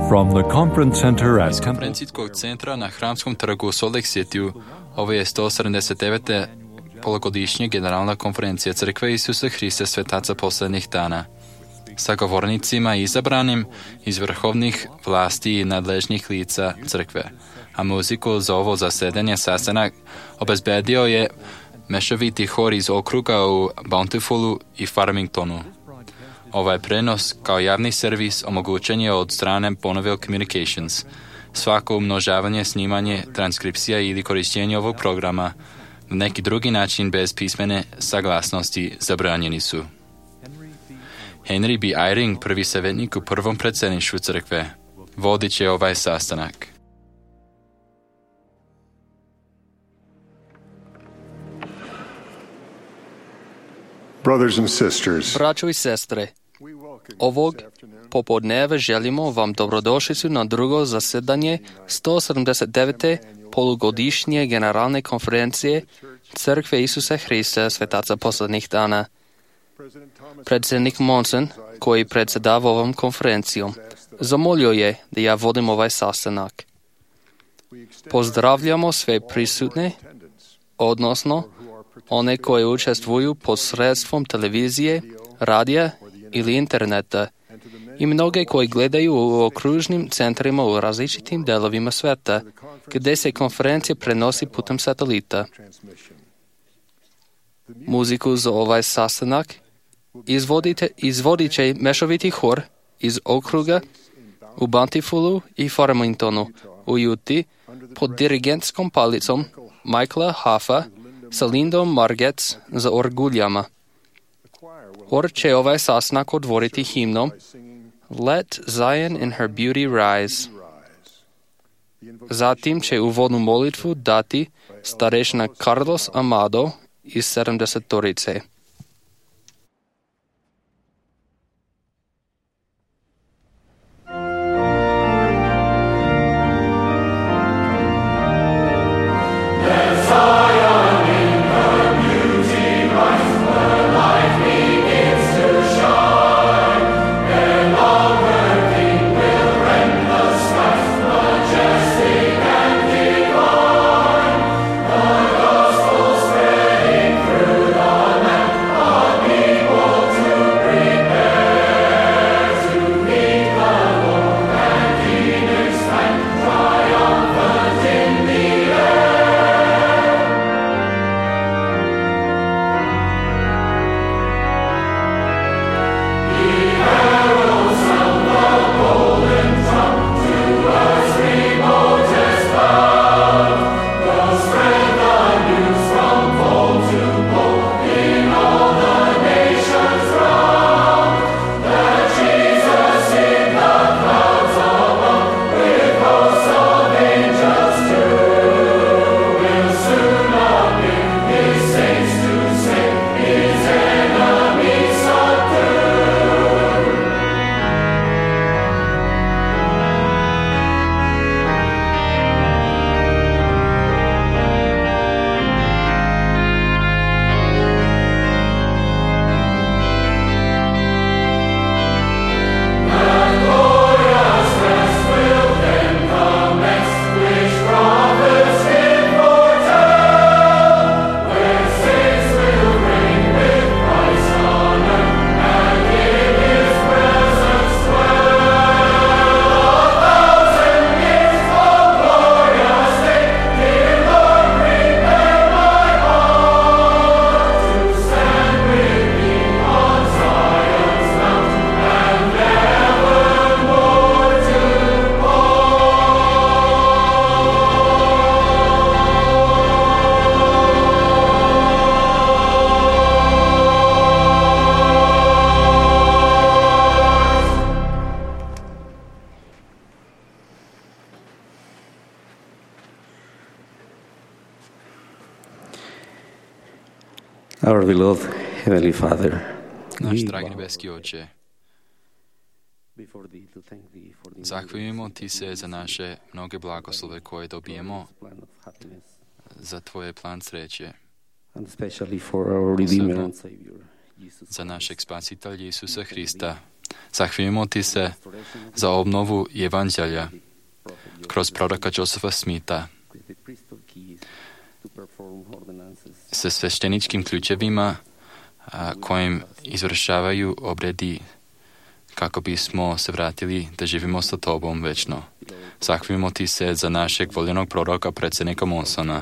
From the conference center at Iz konferencijskog centra na Hramskom trgu u Salt Lake Cityu, ovo je 179. polugodišnja generalna konferencija Crkve Isusa Hrista Svetaca posljednjih dana, sa govornicima izabranim iz vrhovnih vlasti i nadležnih lica Crkve. A muziku za ovo zasedanje sastanak obezbedio je mešoviti hor iz okruga u Bountifulu i Farmingtonu. Ovaj prenos kao javni servis omogućen je od strane Bonneville Communications. Svako umnožavanje, snimanje, transkripcija ili korištenje ovog programa na neki drugi način bez pismene saglasnosti zabranjeni su. Henry B. Eyring, prvi savjetnik u prvom predsjedništvu crkve, vodit će ovaj sastanak. Brothers and sisters, Braćo i sestre, ovog popodneva želimo vam dobrodošlicu na drugo zasedanje 179. polugodišnje generalne konferencije Crkve Isusa Hrista Svetaca posljednjih dana. Predsjednik Monson, koji predsjedava ovom konferencijom, zamolio je da ja vodim ovaj sastanak. Pozdravljamo sve prisutne, odnosno one koje učestvuju posredstvom televizije, radija ili interneta i mnoge koji gledaju u okružnim centrima u različitim delovima sveta, gdje se konferencija prenosi putem satelita. Muziku za ovaj sastanak izvodit će mešoviti hor iz okruga u Bountifulu i Farmingtonu u Utah pod dirigentskom palicom Michaela Huffa sa Lindom Margetts za orguljama. Hor će ovaj sastanak otvoriti himnom Let Zion in her beauty rise. Zatim će uvodnu molitvu dati starešina Carlos Amado iz 70-torice. Our beloved Heavenly Father, Naš dragi nebeski Oče, zahvaljujemo Ti se za naše mnoge blagoslove koje dobijemo za Tvoje plan sreće. and especially for our Redeemer and Savior, Jesus za našeg spasitelja Isusa Hrista, Zahvaljujemo ti se za obnovu Evanđelja kroz proroka Josefa Smitha sa svešteničkim ključevima kojim izvršavaju obredi kako bismo se vratili da živimo sa tobom večno. Zahvaljujemo ti se za našeg voljenog proroka, predsjednika Monsona,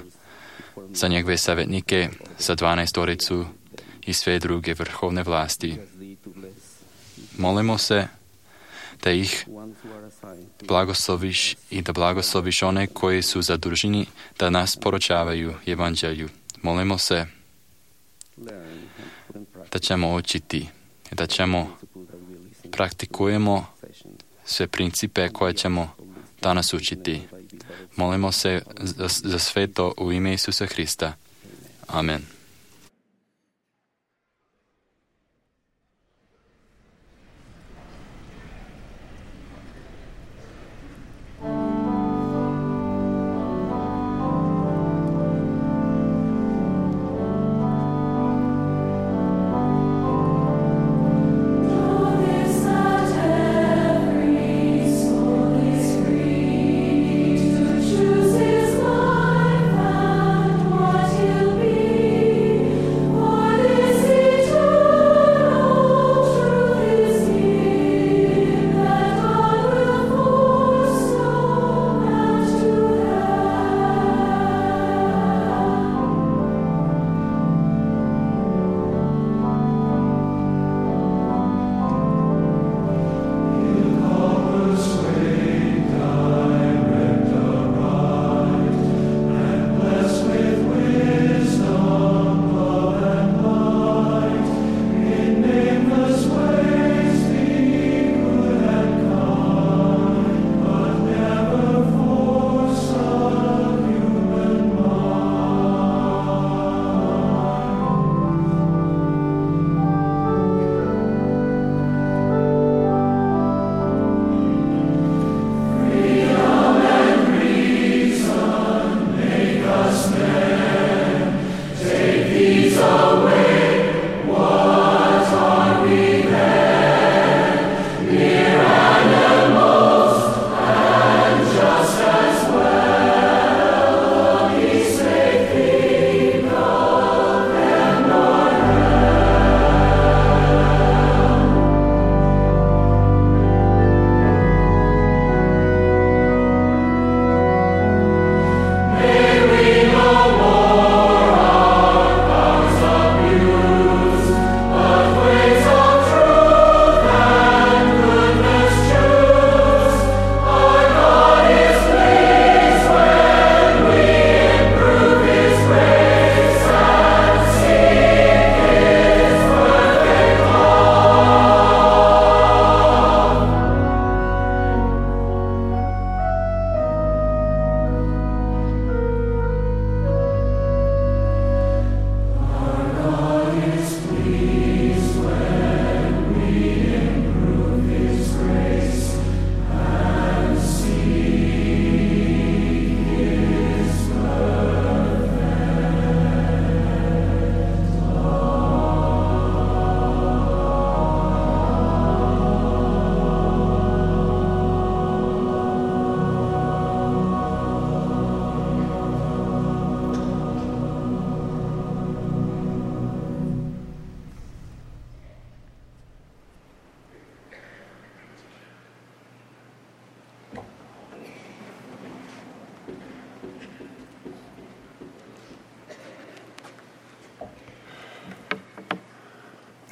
za njegove savjetnike, za 12 i sve druge vrhovne vlasti. Molimo se da ih blagosloviš i da blagosloviš one koji su zaduženi da nas poručavaju Evanđelju. Molimo se da ćemo učiti, da ćemo praktikujemo sve principe koje ćemo danas učiti. Molimo se za sve to u ime Isusa Hrista. Amen.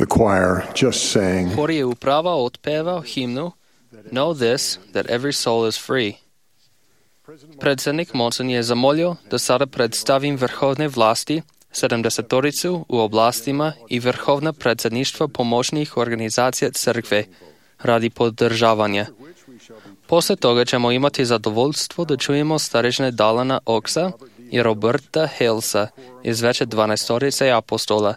The choir just sang, Hor je uprava otpevao himnu Know this, that every soul is free. Predsjednik Monson je zamolio da sada predstavim vrhovne vlasti, 70 u oblastima i vrhovna predsjedništva pomoćnih organizacija crkve radi podržavanja. Poslije toga ćemo imati zadovoljstvo da čujemo starešine Dalana Oxa i Roberta Halesa iz veće 12 apostola.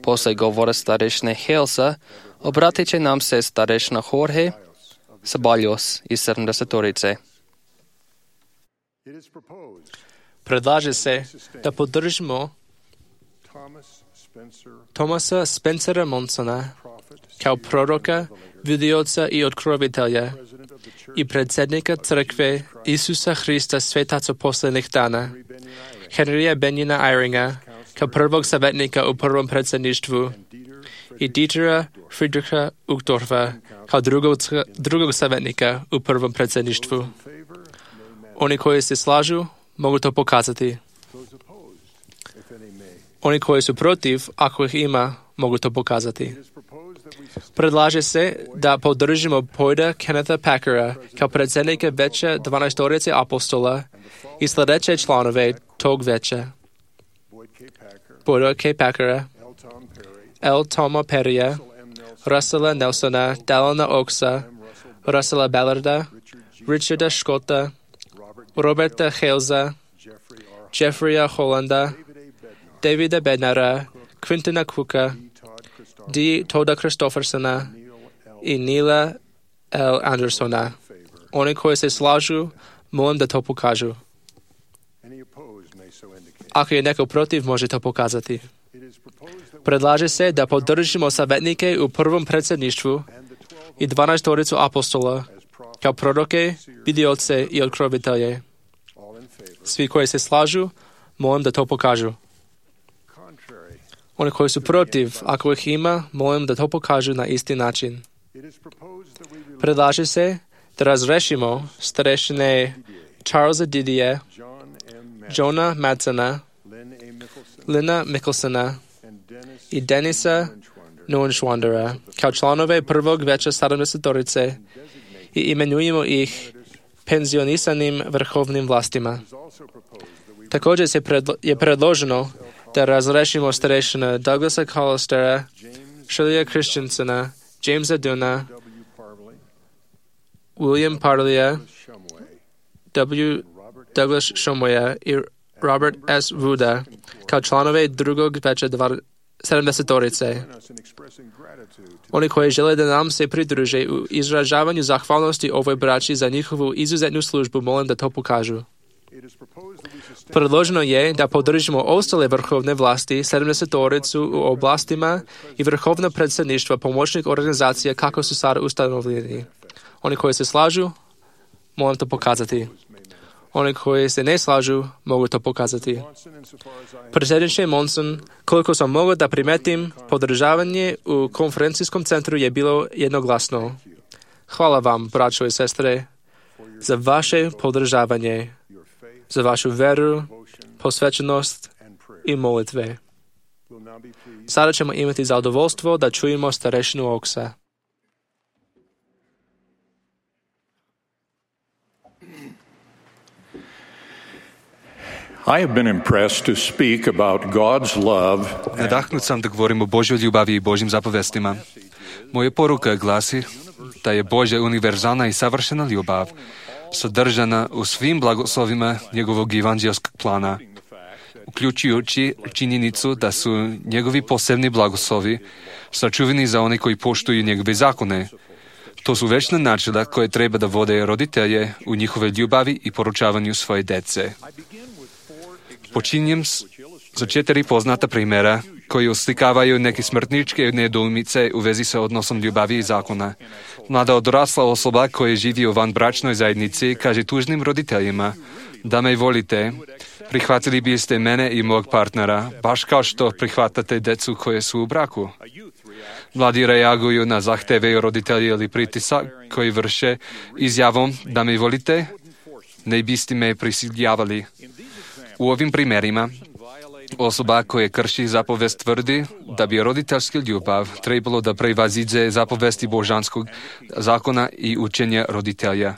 Poslije govora starešine Halesa obratit će nam se starešina Jorge Sabaljos iz 70. Predlaže se da podržimo Thomasa Spencera Monsona kao proroka vidioca i otkrovitelja i predsjednika crkve Isusa Hrista svetaca posljednjih dana, Henrya Benjina Eyringa, kao prvog savjetnika u prvom predsjedništvu i Dietera Friedricha Uchtdorfa, kao drugog savjetnika u prvom predsjedništvu. Oni koji se slažu mogu to pokazati. Oni koji su protiv, ako ih ima, mogu to pokazati. Predlaže se da podržimo Boyda Kennetha Packera kao predsjednika Vijeća 12 apostola i sljedeće članove tog vijeća: Boyda K. Packera, L. Toma Perrya, Russella Nelsona, Dallana Oaksa, Russella Ballarda, Richarda Scotta, Roberta Halesa, Jeffreya Hollanda, Davida Bednara, Quintana Cooka, D. Toda Christoffersona i Neila L. Andersona. Oni koji se slažu, molim da to pokažu. Ako je neko protiv, može to pokazati. Predlaže se da podržimo savjetnike u prvom predsjedništvu i 12 apostola kao proroke, vidioce i otkrovitelje. Svi koji se slažu, molim da to pokažu. Oni koji su protiv, ako ih ima, molim da to pokažu na isti način. Predlaže se da razrešimo starešine Charlesa Didier, Johna Madsona, Lina Mikkelsona i Denisa Neuenschwandera kao članove prvog vijeća 70 i imenujemo ih penzionisanim vrhovnim vlastima. Također je predloženo da razrešimo starešina Douglasa Collistera, Shirleya Christensena, Jamesa Duna, William Parleya, W. Douglas Shumwaya i Robert S. Wooda kao članove drugog vijeća 70. Oni koji žele da nam se pridruže u izražavanju zahvalnosti ovoj braći za njihovu izuzetnu službu, molim da to pokažu. Predloženo je da podržimo ostale vrhovne vlasti, 70 u oblastima i vrhovno predsjedništva pomoćnih organizacija kako su sada ustanovljeni. Oni koji se slažu, molim to pokazati. Oni koji se ne slažu, mogu to pokazati. Predsjedniče Monson, koliko sam mogao da primetim, podržavanje u konferencijskom centru je bilo jednoglasno. Hvala vam, braćo i sestre, za vaše podržavanje, za vašu veru, posvećenost i molitve. Sada ćemo imati zadovoljstvo da čujemo starešinu Oaksa. I have been impressed to speak about God's love. Nadahnut sam da govorim o Božjoj ljubavi i Božjim zapovestima. Moja poruka glasi da je Božja univerzalna i savršena ljubav sadržana u svim blagoslovima njegovog evanđelskog plana, uključujući činjenicu da su njegovi posebni blagoslovi sačuvani za one koji poštuju njegove zakone. To su večna načela koje treba da vode roditelje u njihove ljubavi i poručavanju svoje dece. Počinjem za 4 poznata primjera koji oslikavaju neke smrtničke nedoumice u vezi sa odnosom ljubavi i zakona. Mlada odrasla osoba koja živi u vanbračnoj zajednici kaže tužnim roditeljima: da me volite, prihvatili biste mene i mog partnera, baš kao što prihvatate decu koje su u braku. Mladi reaguju na zahteve roditelja ili pritisak koji vrše izjavom: da me volite, ne biste me prisiljavali. U ovim primjerima, osoba koja krši zapovest tvrdi da bi roditeljska ljubav trebalo da prevaziđe zapovesti božanskog zakona i učenja roditelja.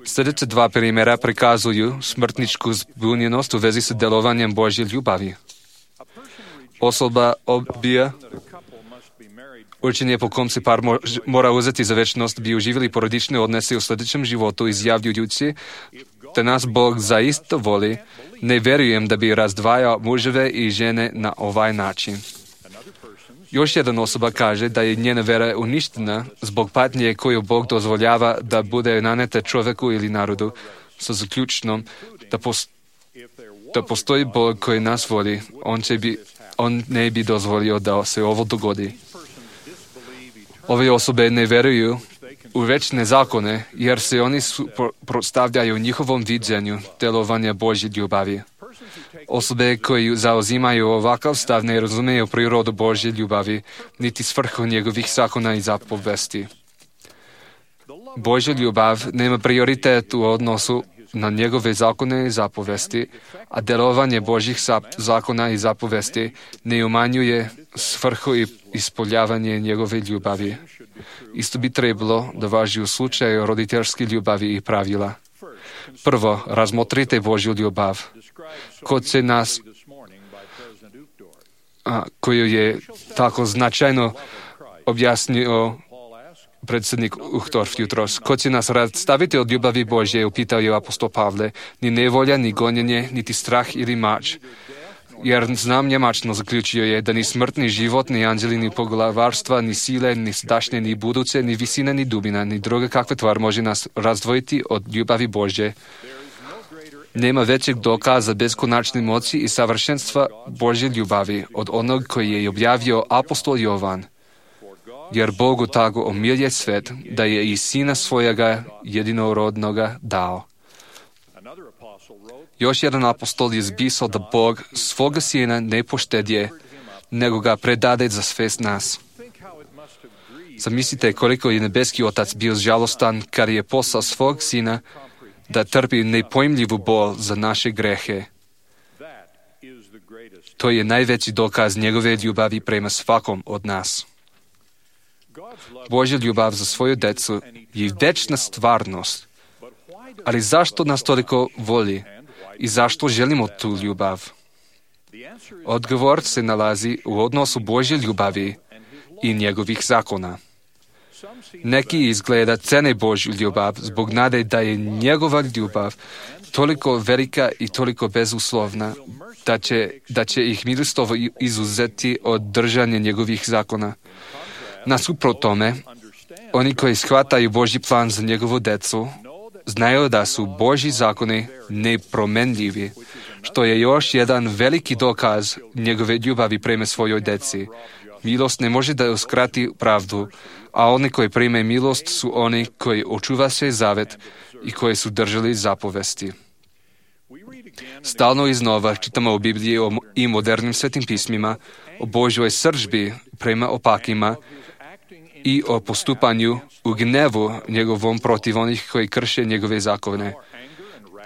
Sljedeće 2 primjera prikazuju smrtničku zbunjenost u vezi sa delovanjem Božje ljubavi. Osoba odbija učenje po kom se par mora uzeti za večnost bi uživali porodične odnose u sljedećem životu, izjavljujući da nas Bog zaista voli. Ne vjerujem da bi razdvajao muževe i žene na ovaj način. Još jedna osoba kaže da je njena vera uništena zbog patnje koju Bog dozvoljava da bude naneta čovjeku ili narodu, sa zaključnom da postoji Bog koji nas voli. On ne bi dozvolio da se ovo dogodi. Ove osobe ne veruju u večne zakone, jer se oni suprotstavljaju njihovom viđenju delovanja Božje ljubavi. Osobe koji zauzimaju ovakav stav ne razumeju prirodu Božje ljubavi, niti svrhu njegovih zakona i zapovesti. Božja ljubav nema prioritet u odnosu na njegove zakone i zapovesti, a delovanje Božjih zakona i zapovesti ne umanjuje svrhu i ispoljavanje njegove ljubavi. Isto bi trebalo da važi u slučaju roditeljske ljubavi i pravila. Prvo, razmotrite Božju ljubav, koju je tako značajno objasnio predsjednik Uchtdorf jutros. Ko će nas rastaviti od ljubavi Božje, upitao je apostol Pavle, ni nevolja, ni gonjenje, niti strah ili mač. Jer znam njemačno, zaključio je, da ni smrt, ni život, ni anđeli, ni poglavarstva, ni sile, ni sadašnje, ni buduće, ni visina, ni dubina, ni druga kakva tvar može nas razdvojiti od ljubavi Božje. Nema većeg dokaza beskonačne moći i savršenstva Božje ljubavi od onog koji je objavio apostol Jovan. Jer Bogu tako omilje svet, da je i Sina svojega jedinorodnoga dao. Još jedan apostol je zpisao da Bog svoga Sina ne poštedje, nego ga predade za sve nas. Zamislite koliko je nebeski Otac bio žalostan kad je poslao svog Sina da trpi nepojmljivu bol za naše grehe. To je najveći dokaz njegove ljubavi prema svakom od nas. Božja ljubav za svoju decu je večna stvarnost. Ali zašto nas toliko voli i zašto želimo tu ljubav? Odgovor se nalazi u odnosu Božje ljubavi i njegovih zakona. Neki izgleda cene Božju ljubav zbog nade da je njegova ljubav toliko velika i toliko bezuslovna da će ih milostivo izuzeti od držanja njegovih zakona. Nasuprot tome, oni koji shvataju Božji plan za njegovu decu, znaju da su Božji zakoni nepromenljivi, što je još jedan veliki dokaz njegove ljubavi prema svojoj deci. Milost ne može da uskrati pravdu, a oni koji prime milost su oni koji očuva se zavet i koji su držali zapovesti. Stalno iznova čitamo u Bibliji i modernim svetim pismima o Božjoj srdžbi prema opakima i o postupanju u gnevu njegovom protiv onih koji krše njegove zakone.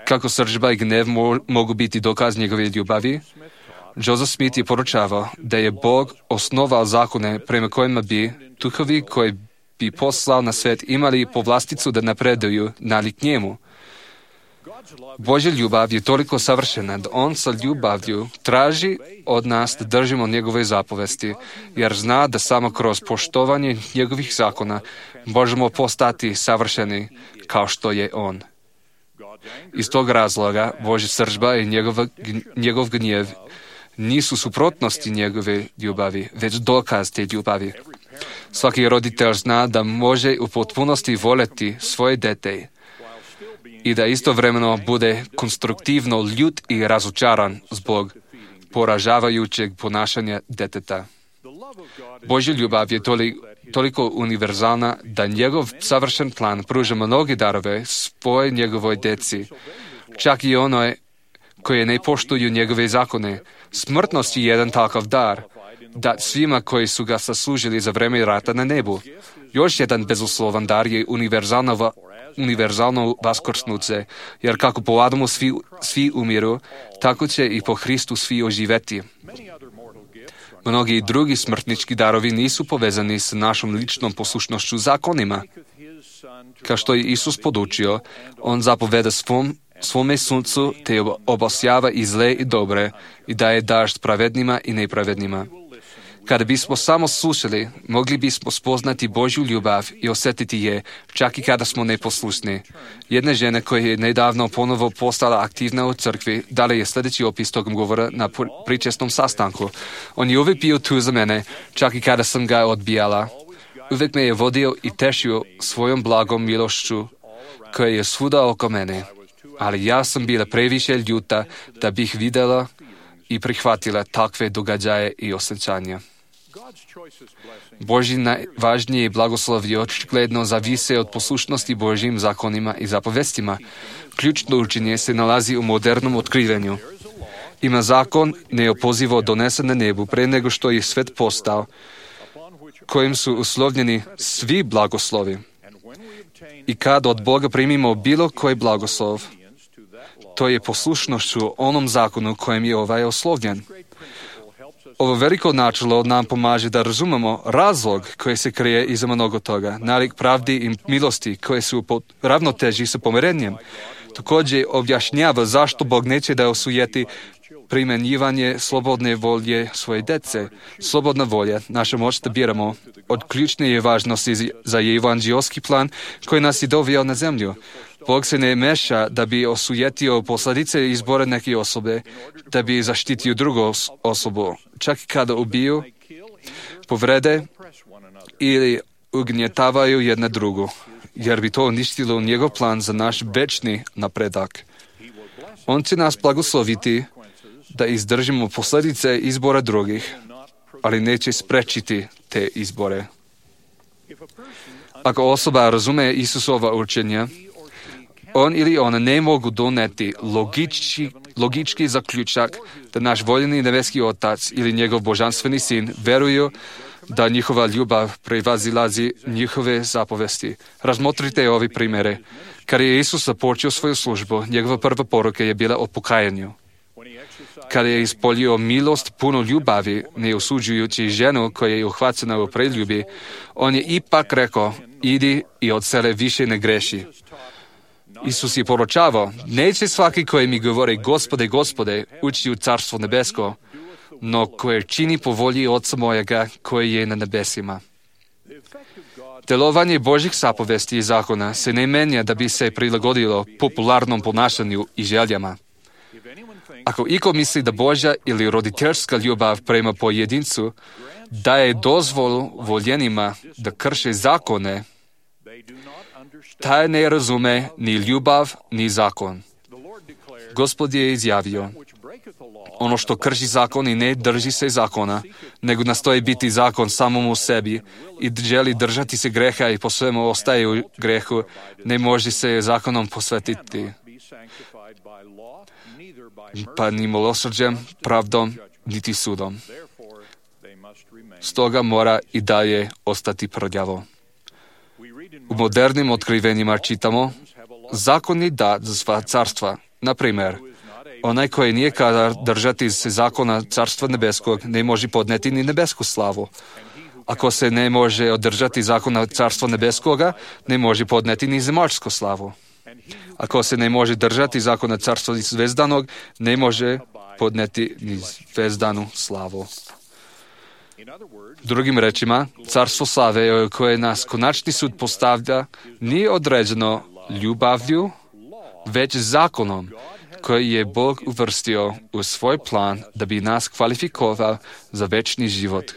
Kako srdžba i gnev mogu biti dokaz njegove ljubavi? Joseph Smith je poručavao da je Bog osnovao zakone prema kojima bi duhovi koji bi poslao na svet imali povlasticu da napreduju nalik njemu. Božja ljubav je toliko savršena da on sa ljubavlju traži od nas da držimo njegove zapovesti, jer zna da samo kroz poštovanje njegovih zakona možemo postati savršeni kao što je on. Iz tog razloga Božja srdžba i njegov gnjev nisu suprotnosti njegove ljubavi, već dokaz te ljubavi. Svaki roditelj zna da može u potpunosti voljeti svoje dete i da istovremeno bude konstruktivno ljut i razočaran zbog poražavajućeg ponašanja deteta. Božja ljubav je toliko univerzalna da njegov savršen plan pruža mnoge darove svoje njegovoj deci, čak i onoj koje ne poštuju njegove zakone. Smrtnost je jedan takav dar, dat svima koji su ga zaslužili za vreme rata na nebu. Još jedan bezuslovan dar je univerzalno vaskrsnuće, jer kako po Adamu svi umiru, tako će i po Hristu svi oživeti. Mnogi drugi smrtnički darovi nisu povezani s našom ličnom poslušnošću zakonima. Kao što je Isus podučio, on zapoveda svome suncu te obasjava i zle i dobre i daje dažd pravednima i nepravednima. Kada bismo samo slušali, mogli bismo spoznati Božju ljubav i osjetiti je, čak i kada smo neposlušni. Jedna žena koja je nedavno ponovo postala aktivna u crkvi, dala je sljedeći opis tog govora na pričesnom sastanku. On je uvijek bio tu za mene, čak i kada sam ga odbijala. Uvijek me je vodio i tešio svojom blagom milošću koja je svuda oko mene. Ali ja sam bila previše ljuta da bih vidjela i prihvatila takve događaje i osjećanja. Boží najvažnije blagoslovi očigledno zavise od poslušnosti Božjim zakonima i zapovestima. Ključno učenje se nalazi u modernom otkrivenju. Ima zakon neopozivo donesen na nebu pre nego što je svet postao, kojim su uslovljeni svi blagoslovi. I kad od Boga primimo bilo koji blagoslov, to je poslušnošću onom zakonu kojem je ovaj oslovljen. Ovo veliko načelo nam pomaže da razumemo razlog koji se krije iza mnogo toga, nalik pravdi i milosti koje su po ravnoteži sa pomirenjem. Također objašnjava zašto Bog neće da osujeti primjenjivanje slobodne volje svoje dece. Slobodna volja, naša moć da biramo, od ključne je važnosti za evanđelski plan koji nas je doveo na zemlju. Bog se ne meša da bi osujetio posljedice izbora neke osobe, da bi zaštitio drugu osobu, čak i kada ubiju, povrede ili ugnjetavaju jedna drugu, jer bi to uništilo njegov plan za naš večni napredak. On će nas blagosloviti da izdržimo posljedice izbora drugih, ali neće sprečiti te izbore. Ako osoba razume Isusova učenja, on ili ona ne mogu doneti logički zaključak da naš voljeni nebeski Otac ili njegov božanstveni sin veruju da njihova ljubav prevazilazi njihove zapovesti. Razmotrite ovi primjere. Kad je Isus započeo svoju službu, njegova prva poruka je bila o pokajanju. Kad je ispolio milost puno ljubavi, ne osuđujući ženu koja je uhvaćena u preljubi, on je ipak rekao, idi i od sele više ne greši. Isus je poručavao, neće svaki koji mi govori Gospode, Gospode, ući u carstvo nebesko, no koje čini po volji Oca mojega koji je na nebesima. Delovanje Božjih zapovesti i zakona se ne menja da bi se prilagodilo popularnom ponašanju i željama. Ako iko misli da Božja ili roditeljska ljubav prema pojedincu daje dozvolu voljenima da krše zakone, taj ne razume ni ljubav, ni zakon. Gospod je izjavio, ono što krši zakon i ne drži se zakona, nego nastoji biti zakon samom u sebi i želi držati se greha i po svemu ostaje u grehu, ne može se zakonom posvetiti. Pa ni milosrđem, pravdom, niti sudom. Stoga mora i dalje ostati prljavo. U modernim otkrivenjima čitamo, zakon je dat za sva carstva. Na primjer, onaj koji nije kadar držati se zakona carstva nebeskog ne može podneti ni nebesku slavu. Ako se ne može održati zakona carstva nebeskoga, ne može podneti ni zemaljsku slavu. Ako se ne može držati zakona carstva zvezdanog, ne može podneti ni zvezdanu slavu. Drugim rečima, carstvo slave koje nas konačni sud postavlja nije određeno ljubavlju, već zakonom koji je Bog uvrstio u svoj plan da bi nas kvalifikovao za večni život,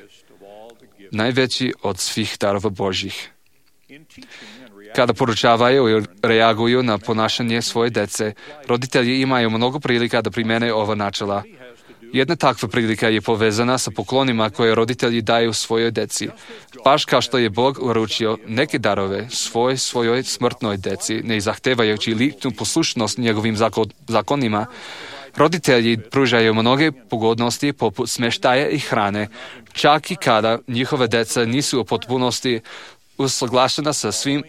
najveći od svih darova Božjih. Kada poručavaju i reaguju na ponašanje svoje dece, roditelji imaju mnogo prilika da primene ova načela. Jedna takva prilika je povezana sa poklonima koje roditelji daju svojoj deci. Baš kao što je Bog uručio neke darove svojoj smrtnoj deci, ne zahtevajući ličnu poslušnost njegovim zakonima, roditelji pružaju mnoge pogodnosti poput smještaja i hrane, čak i kada njihove deca nisu u potpunosti usaglašena sa svim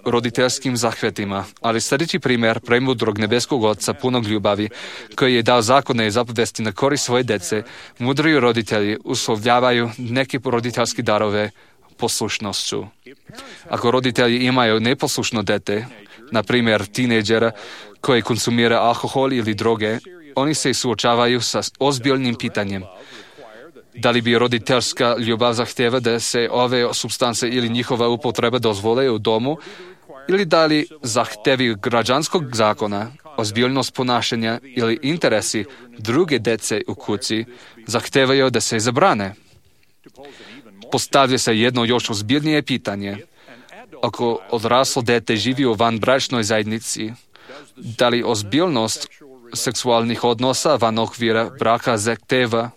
roditeljskim zahvetima, ali sljedeći primjer premudrog nebeskog Oca punog ljubavi, koji je dao zakone i zapovesti na korist svoje dece, mudri roditelji uslovljavaju neke roditeljske darove poslušnošću. Ako roditelji imaju neposlušno dete, na primjer tinejdžera koji konsumira alkohol ili droge, oni se suočavaju sa ozbiljnim pitanjem. Da li bi roditeljska ljubav zahtjeva da se ove supstance ili njihova upotreba dozvole u domu, ili da li zahtjevi građanskog zakona, ozbiljnost ponašanja ili interesi druge dece u kući zahtevaju da se zabrane. Postavlja se jedno još ozbiljnije pitanje. Ako odraslo dete živi u vanbračnoj zajednici, da li ozbiljnost seksualnih odnosa van okvira braka zahteva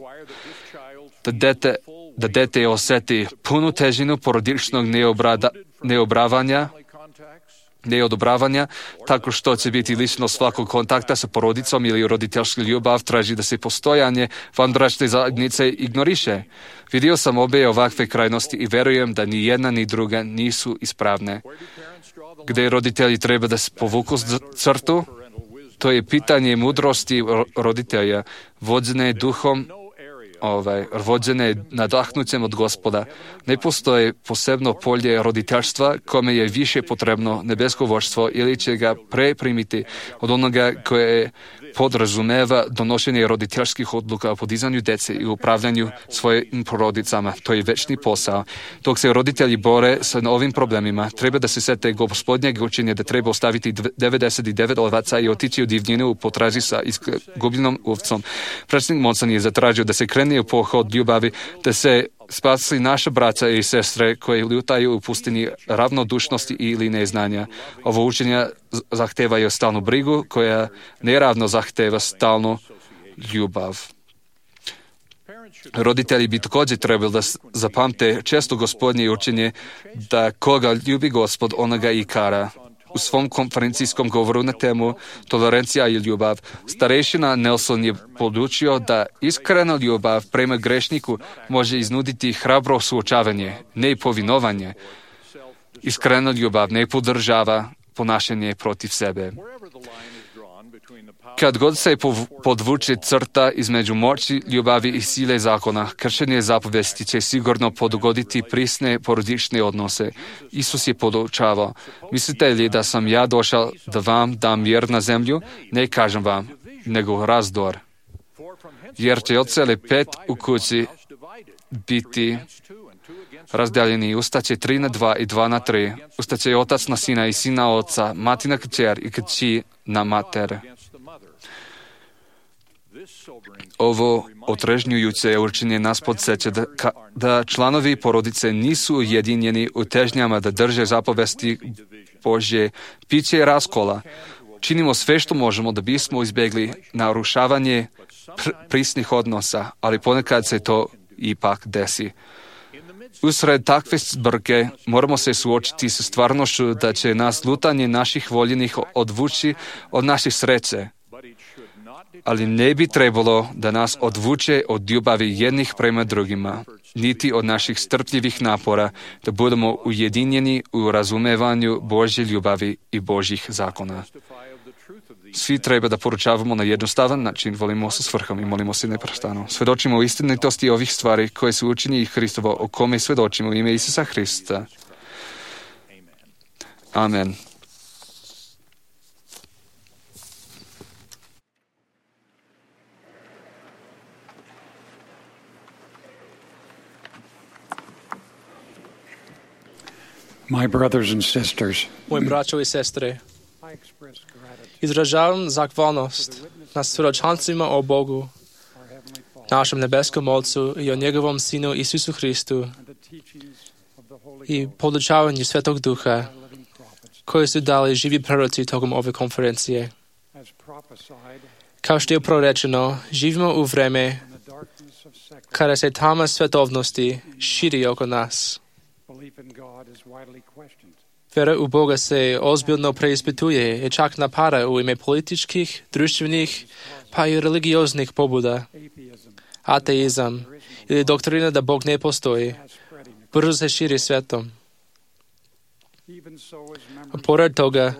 da dete da dete oseti punu težinu porodičnog neodobravanja, tako što će biti lišeno svakog kontakta sa porodicom ili roditeljska ljubav traži da se postojanje vanbračne zajednice ignoriše. Vidio sam obe ovakve krajnosti i verujem da ni jedna ni druga nisu ispravne. Gde roditelji treba da se povuku crtu, to je pitanje mudrosti roditelja, vođene duhom, vođene nadahnućem od Gospoda. Ne postoje posebno polje roditeljstva kome je više potrebno nebesko vođstvo ili će ga preprimiti od onoga koje podrazumeva donošenje roditeljskih odluka o podizanju dece i upravljanju svojim porodicama. To je večni posao. Dok se roditelji bore sa ovim problemima, treba da se sete Gospodnjeg učenja da treba ostaviti 99 ovaca i otići u divljinu u potrazi sa izgubljenom ovcom. Predsjednik Monson je zatražio da se krene u pohod ljubavi, da se spasi naša braća i sestre koji lutaju u pustini ravnodušnosti ili neznanja. Ovo učenja zahtevaju stalnu brigu koja neravno zahteva stalnu ljubav. Roditelji bi također trebali da zapamte često Gospodnje učenje da koga ljubi Gospod, onoga i kara. U svom konferencijskom govoru na temu Tolerancija i ljubav, starešina Nelson je podučio da iskrena ljubav prema grešniku može iznuditi hrabro suočavanje, ne povinovanje. Iskrena ljubav ne podržava ponašanje protiv sebe. Kad god se podvuče crta između moći, ljubavi i sile zakona, kršenje zapovesti će sigurno pogoditi prisne porodične odnose. Isus je podučavao, mislite li da sam ja došao da vam dam mir na zemlju? Ne kažem vam, nego razdor. Jer će od cele 5 u kući biti razdeljeni, ustaće 3:2 i 2:3. Ustaće otac na sina i sin na oca, mati na kćer i kći na mater. Ovo otrežnjujuće učenje nas podsjeća da članovi porodice nisu ujedinjeni u težnjama da drže zapovesti Božje, piće raskola. Činimo sve što možemo da bismo izbjegli narušavanje prisnih odnosa, ali ponekad se to ipak desi. Usred takve zbrke moramo se suočiti sa stvarnošću da će nas lutanje naših voljenih odvući od naših sreće. Ali ne bi trebalo da nas odvuče od ljubavi jednih prema drugima, niti od naših strpljivih napora da budemo ujedinjeni u razumevanju Božje ljubavi i Božjih zakona. Svi treba da poručavamo na jednostavan način, volimo sa svrhom i molimo se neprestano. Svedočimo o istinitosti ovih stvari koje su učinjeni Hristovo, o kome svedočimo u ime Isusa Hrista. Amen. My brothers and sisters, Moji braćo i sestre, izražavam zahvalnost na svjedočanstvima o Bogu, našem nebeskom Otcu i o njegovom Sinu Isusu Hristu i podučavanju Svetog Duha koji su dali živi proroci tokom ove konferencije. Kao što je prorečeno, živimo u vreme kada se tama svetovnosti širi oko nas. Vera u Boga se ozbiljno preispituje i čak napada u ime političkih, društvenih, pa i religioznih pobuda. Ateizam ili doktrina da Bog ne postoji brzo se širi svetom. Pored toga,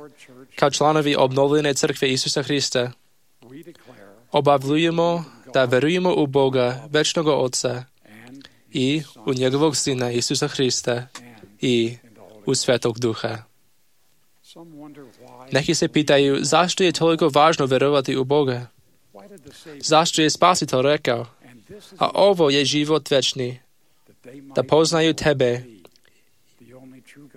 kao članovi obnovljene crkve Isusa Hrista, obavljujemo da verujemo u Boga, večnog Otca i u njegovog Sina Isusa Hrista i u Svetog Duha. Neki se pitaju zašto je toliko važno verovati u Boga. Zašto je Spasitelj rekao, a ovo je život večni, da poznaju tebe,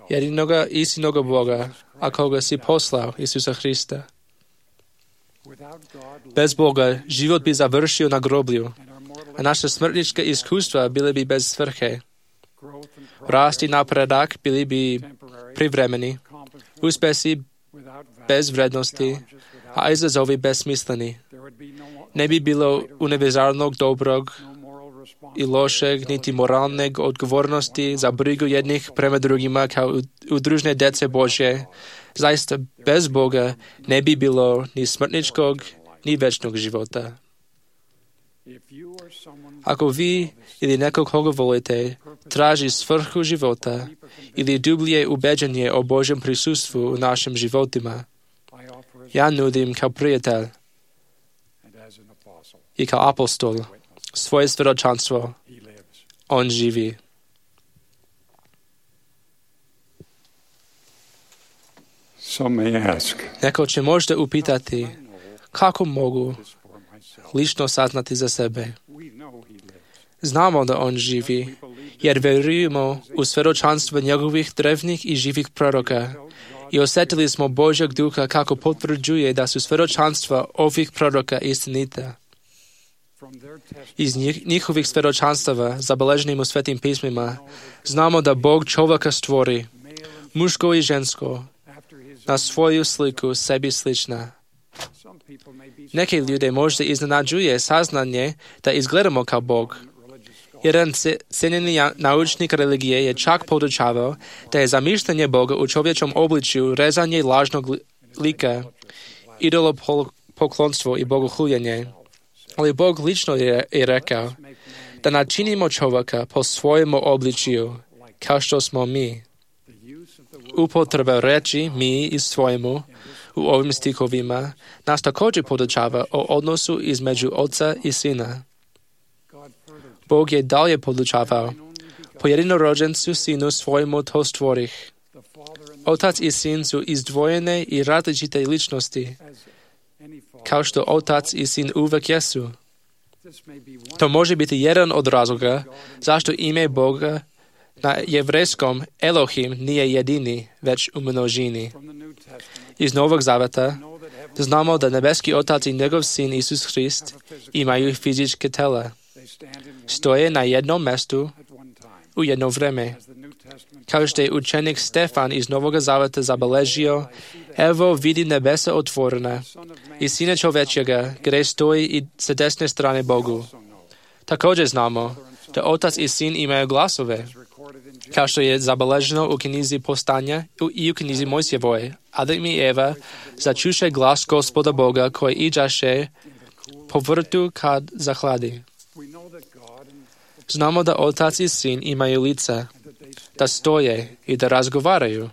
jedinoga istinoga Boga, a koga si poslao, Isusa Hrista. Bez Boga život bi završio na groblju, a naša smrtnička iskustva bile bi bez svrhe. Rast i napredak bili bi privremeni, uspesi bez vrednosti, a izazovi besmisleni. Ne bi bilo univerzalnog dobrog, i lošeg, niti moralne odgovornosti za brigu jednih prema drugima kao udružne dece Božje. Zaista bez Boga ne bi bilo ni smrtničkog, ni večnog života. Ako vi ili nekog koga volite traži svrhu života ili dublje ubeđenje o Božjem prisustvu u našim životima, ja nudim kao prijatelj i kao apostol svoje svjedočanstvo. On živi. Neko će možda upitati kako mogu lično saznati za sebe. Znamo da on živi, jer vjerujemo u svjedočanstvo njegovih drevnih i živih proroka i osjetili smo Božjeg duha kako potvrđuje da su svjedočanstva ovih proroka istinita. Iz njihovih svjedočanstava, zabeleženim u Svetim pismima, znamo da Bog čovjeka stvori, muško i žensko, na svoju sliku sebi slična. Neke ljude možda iznenađuje saznanje da izgledamo kao Bog. Jedan cijenjeni naučnik religije je čak podučavao da je zamišljanje Boga u čovječom obličju rezanje lažnog lika, idolopoklonstvo i bogohuljenje. Ali Bog lično je rekao da načinimo čovjeka po svojemu obličju, kao što smo mi. Upotreba reči mi i svojemu u ovim stihovima nas također podučava o odnosu između Oca i Sina. Bog je dalje podučavao, po jedinorođencu Sinu svojemu to stvorih. Otac i Sin su izdvojene i različite ličnosti, kao što Otac i Sin uvek jesu. To može biti jedan od razloga zašto ime Boga na jevrejskom Elohim nije jedini, već u množini. Iz Novog Zaveta znamo da nebeski Otac i njegov Sin Isus Hrist imaju fizičke tela. Stoje na jednom mjestu u jedno vrijeme. Kao što je učenik Stefan iz Novog Zaveta zabeležio, evo vidi nebesa otvorena i Sina čovječega, gdje stoji i sa desne strane Bogu. Također znamo da Otac i Sin imaju glasove, kao što je zabeleženo u knjizi Postanja i u knjizi Mojsijevoj. Adam i Eva začuše glas Gospoda Boga koji iđaše po vrtu kad zahladi. Znamo da Otac i Sin imaju lica, da stoje i da razgovaraju.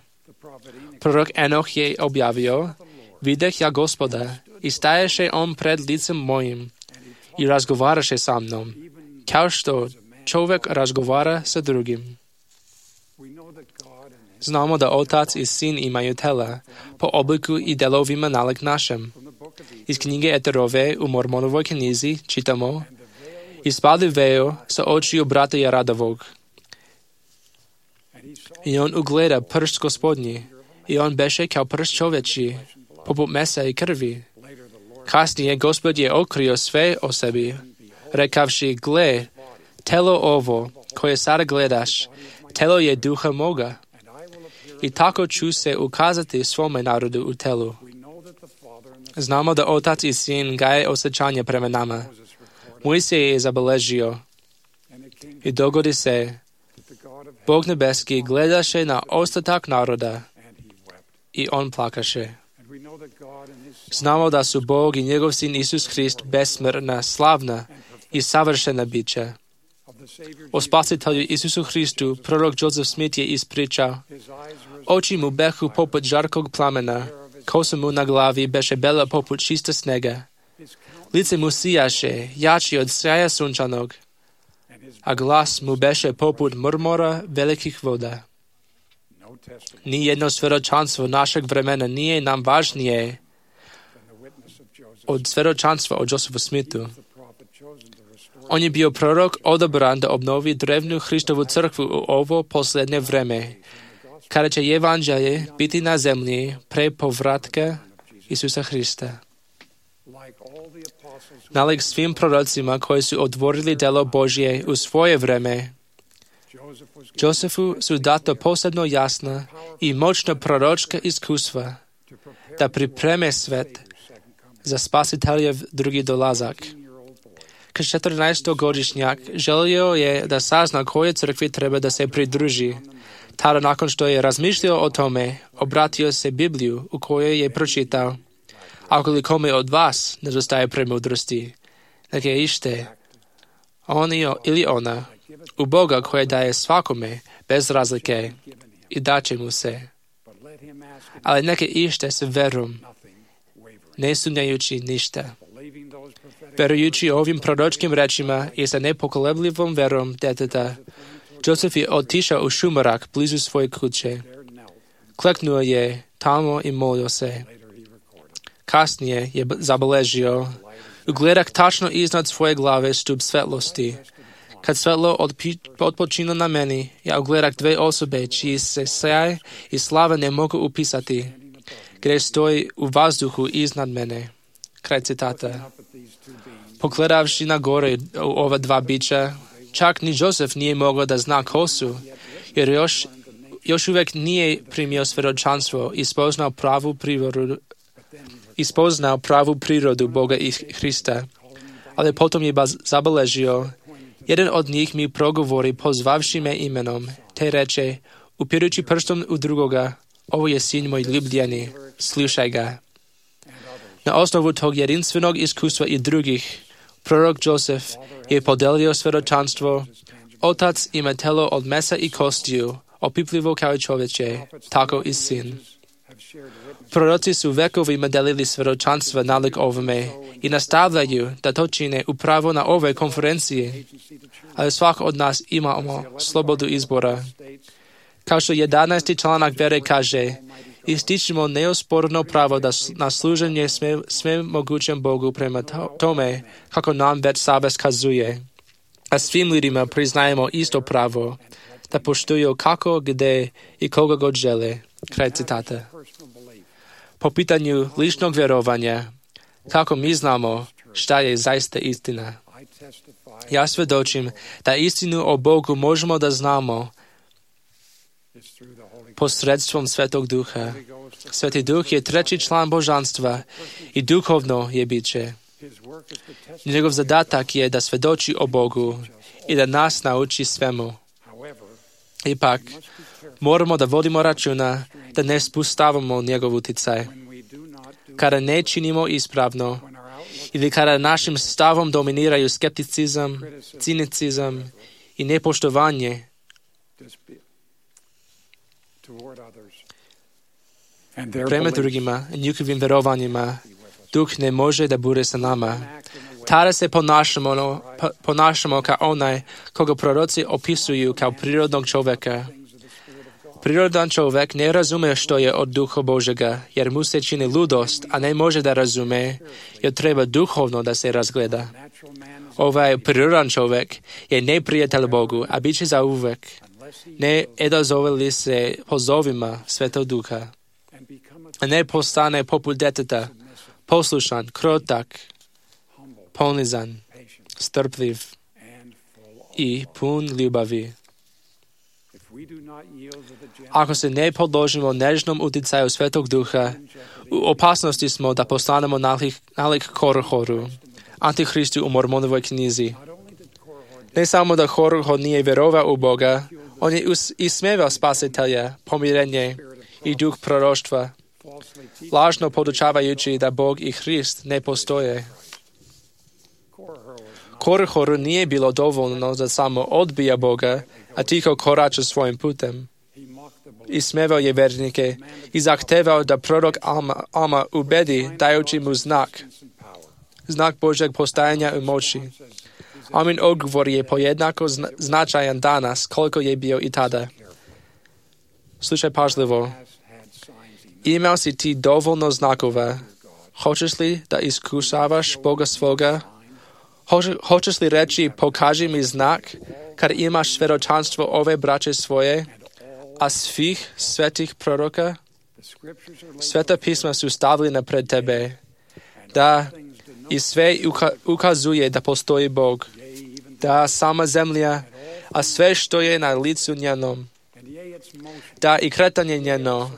Prorok Enoh je objavio, videh ja Gospoda i staješe on pred licem mojim i razgovaraše sa mnom, kao što čovjek razgovara sa drugim. Znamo da Otac i Sin imaju tela, po obliku i delovima nalik našem. Iz knjige Eterove u Mormonovoj knjizi čitamo, ispali veo sa očiju brata Jaradovog. I on ugleda prst Gospodnji, i on beše kao prst čovječi, poput mesa i krvi. Kasnije Gospod je otkrio sve o sebi, rekavši, gle, telo ovo, koje sada gledaš, telo je duha moga. I tako ću se ukazati svome narodu u telu. Znamo da Otac i Sin gaje osjećanje prema nama. Mojsije je zabeležio i dogodi se, Bog nebeski gledaše na ostatak naroda i on plakaše. Znamo da su Bog i njegov Sin Isus Hrist besmrtna, slavna i savršena bića. O spasitelju Isusu Hristu prorok Joseph Smith je ispričao, oči mu behu poput žarkog plamena, kosa mu na glavi beše bela poput čista snega. Lice mu sijaše, jači od sjaja sunčanog, a glas mu beše poput murmora velikih voda. Nijedno svjedočanstvo našeg vremena nije nam važnije od svjedočanstva o Josephu Smithu. On je bio prorok odabran da obnovi drevnu Hristovu crkvu u ovo posljednje vreme, kada će evanđelje biti na zemlji pre povratka Isusa Hrista. Nalik svim prorocima koji su otvorili delo Božje u svoje vreme, Josefu su data posebno jasna i moćna proročka iskustva da pripreme svet za spasiteljev drugi dolazak. 14-godišnjak želio je da sazna koje crkvi treba da se pridruži. Tada nakon što je razmišljao o tome, obratio se Bibliju u kojoj je pročitao: ako li kome od vas nedostaje premudrosti, neka ište on ili ona u Boga koje daje svakome bez razlike i daće mu se. Ali neka ište s verom, ne sumnjajući ništa. Verujući ovim proročkim rečima i sa nepokolebljivom verom deteta, Josef je otišao u šumarak blizu svoje kuće. Kleknuo je tamo i molio se. Kasnije je zabeležio: ugledak tačno iznad svoje glave stup svetlosti. Kad svetlo odpočino na meni, ja ugledak dve osobe čiji se sjaj i slava ne mogu upisati, gdje stoji u vazduhu iznad mene. Kraj citata. Pogledavši na gore u ova dva bića, čak ni Josef nije mogao da zna ko su, jer još uvijek nije primio svjedočanstvo i spoznao pravu prirodu Boga i Hrista. Ali potom je zabeležio: jedan od njih mi progovori pozvavši me imenom, te reče, upirući prstom u drugoga: ovo je sin moj ljubljeni, slušaj ga. Na osnovu tog jedinstvenog iskustva i drugih, prorok Josef je podelio svjedočanstvo: otac ima telo od mesa i kostiju, opipljivo kao čovječe, tako i sin. Proroci su vekovima delili svjedočanstva nalik ovome i nastavljaju da to čine upravo na ovoj konferenciji, ali svak od nas imamo slobodu izbora. Kao što 11. članak vere kaže, ističemo neosporno pravo na služenje sve mogućem Bogu prema tome kako nam već savez kazuje. A svim ljudima priznajemo isto pravo da poštuju kako, gde i koga god žele. Kraj citata. Po pitanju ličnog vjerovanja, kako mi znamo šta je zaista istina? Ja svjedočim da istinu o Bogu možemo da znamo posredstvom Svetog Duha. Sveti Duh je treći član božanstva i duhovno je biće. Njegov zadatak je da svjedoči o Bogu i da nas nauči svemu. Ipak, moramo da vodimo računa da ne spustavamo njegov utjecaj. Kada ne činimo ispravno ili kada našim stavom dominiraju skepticizam, cinicizam i nepoštovanje, prema drugima i njihovim verovanjima, Duh ne može da bude sa nama. Tada se ponašamo kao onaj koga proroci opisuju kao prirodnog čovjeka. Prirodan čovjek ne razume što je od Duha Božega, jer mu se čini ludost, a ne može da razume, jer treba duhovno da se razgleda. Ovaj prirodan čovjek je neprijatelj Bogu, a bit će za uvek. Ne odazove li se pozovima Svetog Duha, a ne postane poput deteta, poslušan, krotak, ponizan, strpljiv i pun ljubavi. Ako se ne podložimo nežnom utjecaju Svetog Duha, u opasnosti smo da postanemo nalik Korhoru, Antihristu u Mormonovoj knjizi. Ne samo da Korhor nije vjerovao u Boga, on je ismevao spasitelja, pomirenje i duh proroštva, lažno podučavajući da Bog i Hrist ne postoje. Korhoru nije bilo dovoljno da samo odbija Boga, a tiho korača svojim putem. Ismevao je vernike i zahtevao da prorok Alma ubedi dajući mu znak Božeg postajanja i moći. Amin odgovor je pojednako značajan danas koliko je bio i tada. Slušaj pažljivo. Imao si ti dovoljno znakova. Hoćeš li da iskušavaš Boga svoga? Hoćeš li reći pokaži mi znak kad imaš svjedočanstvo ove braće svoje, a svih svetih proroka? Sveta pisma su stavljena pred tebe, da i sve ukazuje da postoji Bog, da sama zemlja, a sve što je na licu njenom, da i kretanje njeno,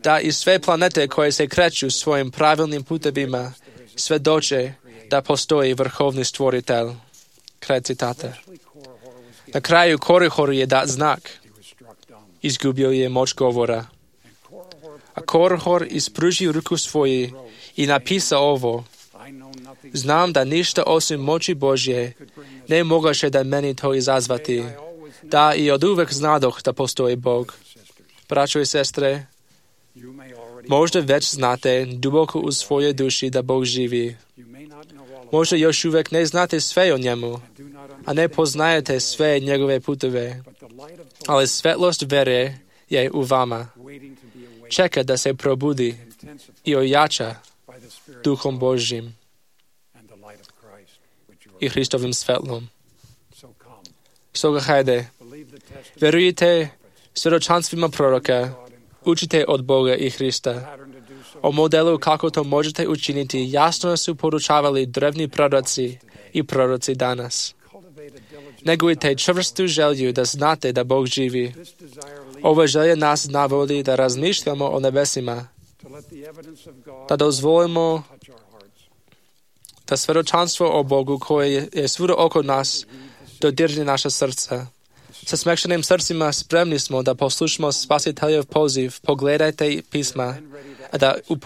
da i sve planete koje se kreću svojim pravilnim putevima svjedoče da postoji vrhovni stvoritelj. Kraj citata. Na kraju Korihor je dat znak. Izgubio je moć govora. A Korihor ispružio ruku svoju i napisao ovo. Znam da ništa osim moći Božje ne mogaše da meni to izazvati. Da i od uvek znadoh da postoji Bog. Braćo i sestre, možda već znate duboko u svojoj duši da Bog živi. Možda još uvek ne znate sve o njemu, a ne poznajete sve njegove putove. Ali svetlost vere je u vama. Čeka da se probudi i ojača Duhom Božjim i Hristovim svetlom. Stoga hajde, verujte svjedočanstvima proroka, učite od Boga i Hrista. O modelu kako to možete učiniti jasno su poručavali drevni proroci i proroci danas. Negujte čvrstu želju da znate da Bog živi. Ova želja nas navodi da razmišljamo o nebesima, da dozvolimo da svjedočanstvo o Bogu koje je svuda oko nas dodirne naša srca. Sa smekšenim srcima spremni smo da poslušamo Spasiteljev poziv, pogledajte pisma, a da u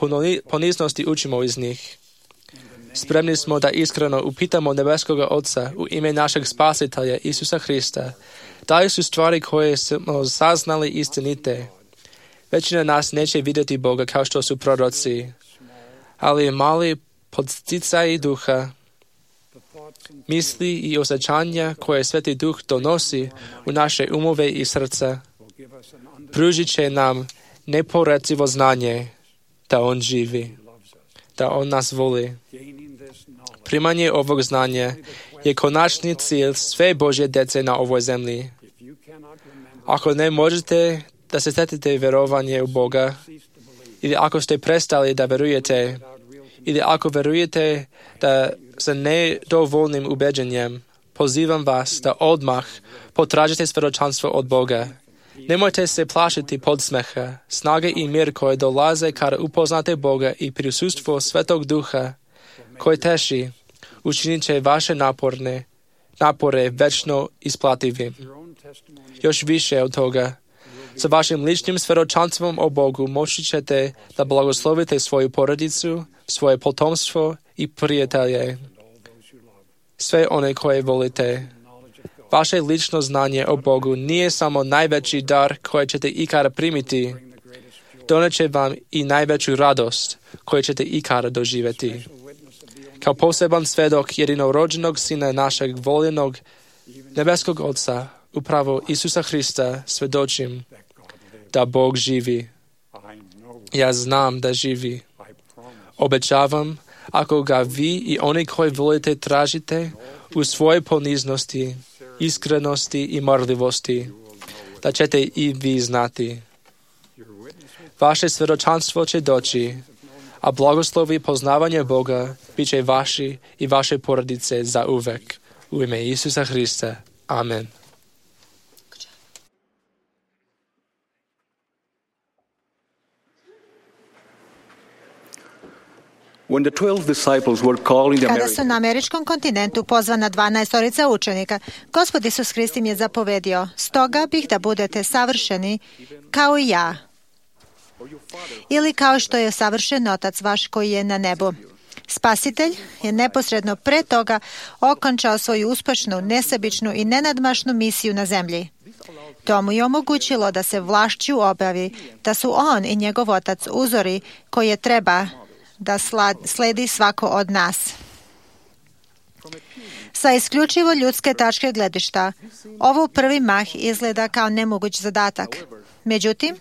poniznosti učimo iz njih. Spremni smo da iskreno upitamo nebeskoga Otca u ime našeg Spasitelja Isusa Hrista, da li su stvari koje smo saznali istinite. Većina nas neće vidjeti Boga kao što su proroci, ali mali podsticaji duha, misli i osjećanja koje Sveti Duh donosi u naše umove i srca, pružit će nam neporecivo znanje da On živi, da On nas voli. Primanje ovog znanja je konačni cilj sve Božje djece na ovoj zemlji. Ako ne možete da se stetite vjerovanje u Boga, ili ako ste prestali da verujete, ili ako verujete da sa nedovoljnim ubeđenjem, pozivam vas da odmah potražite svjedočanstvo od Boga. Nemojte se plašiti podsmeha, snage i mir koje dolaze kada upoznate Boga i prisustvo Svetog Duha koji teši, učinit će vaše napore večno isplativim. Još više od toga, sa vašim ličnim svjedočanstvom o Bogu moći ćete da blagoslovite svoju porodicu, svoje potomstvo i prijatelje, sve one koje volite. Vaše lično znanje o Bogu nije samo najveći dar koji ćete ikada primiti, doneće vam i najveću radost koju ćete ikada doživjeti. Kao poseban svedok jedinorođenog Sina našeg voljenog nebeskog Otca, upravo Isusa Hrista, svjedočim da Bog živi. Ja znam da živi. Obećavam, ako ga vi i oni koji volite tražite u svojoj poniznosti, iskrenosti i marljivosti, da ćete i vi znati. Vaše svjedočanstvo će doći, a blagoslovi poznavanja Boga bit će vaši i vaše porodice za uvek. U ime Isusa Hrista. Amen. Kada su na američkom kontinentu pozvana 12 učenika, Gospod Isus Hrist im je zapovedio: stoga bih da budete savršeni kao i ja, ili kao što je savršen Otac vaš koji je na nebu. Spasitelj je neposredno pre toga okončao svoju uspešnu, nesebičnu i nenadmašnu misiju na zemlji. To mu je omogućilo da se vlašću obavi da su on i njegov Otac uzori koje treba da sledi svako od nas. Sa isključivo ljudske tačke gledišta, ovo prvi mah izgleda kao nemoguć zadatak. Međutim,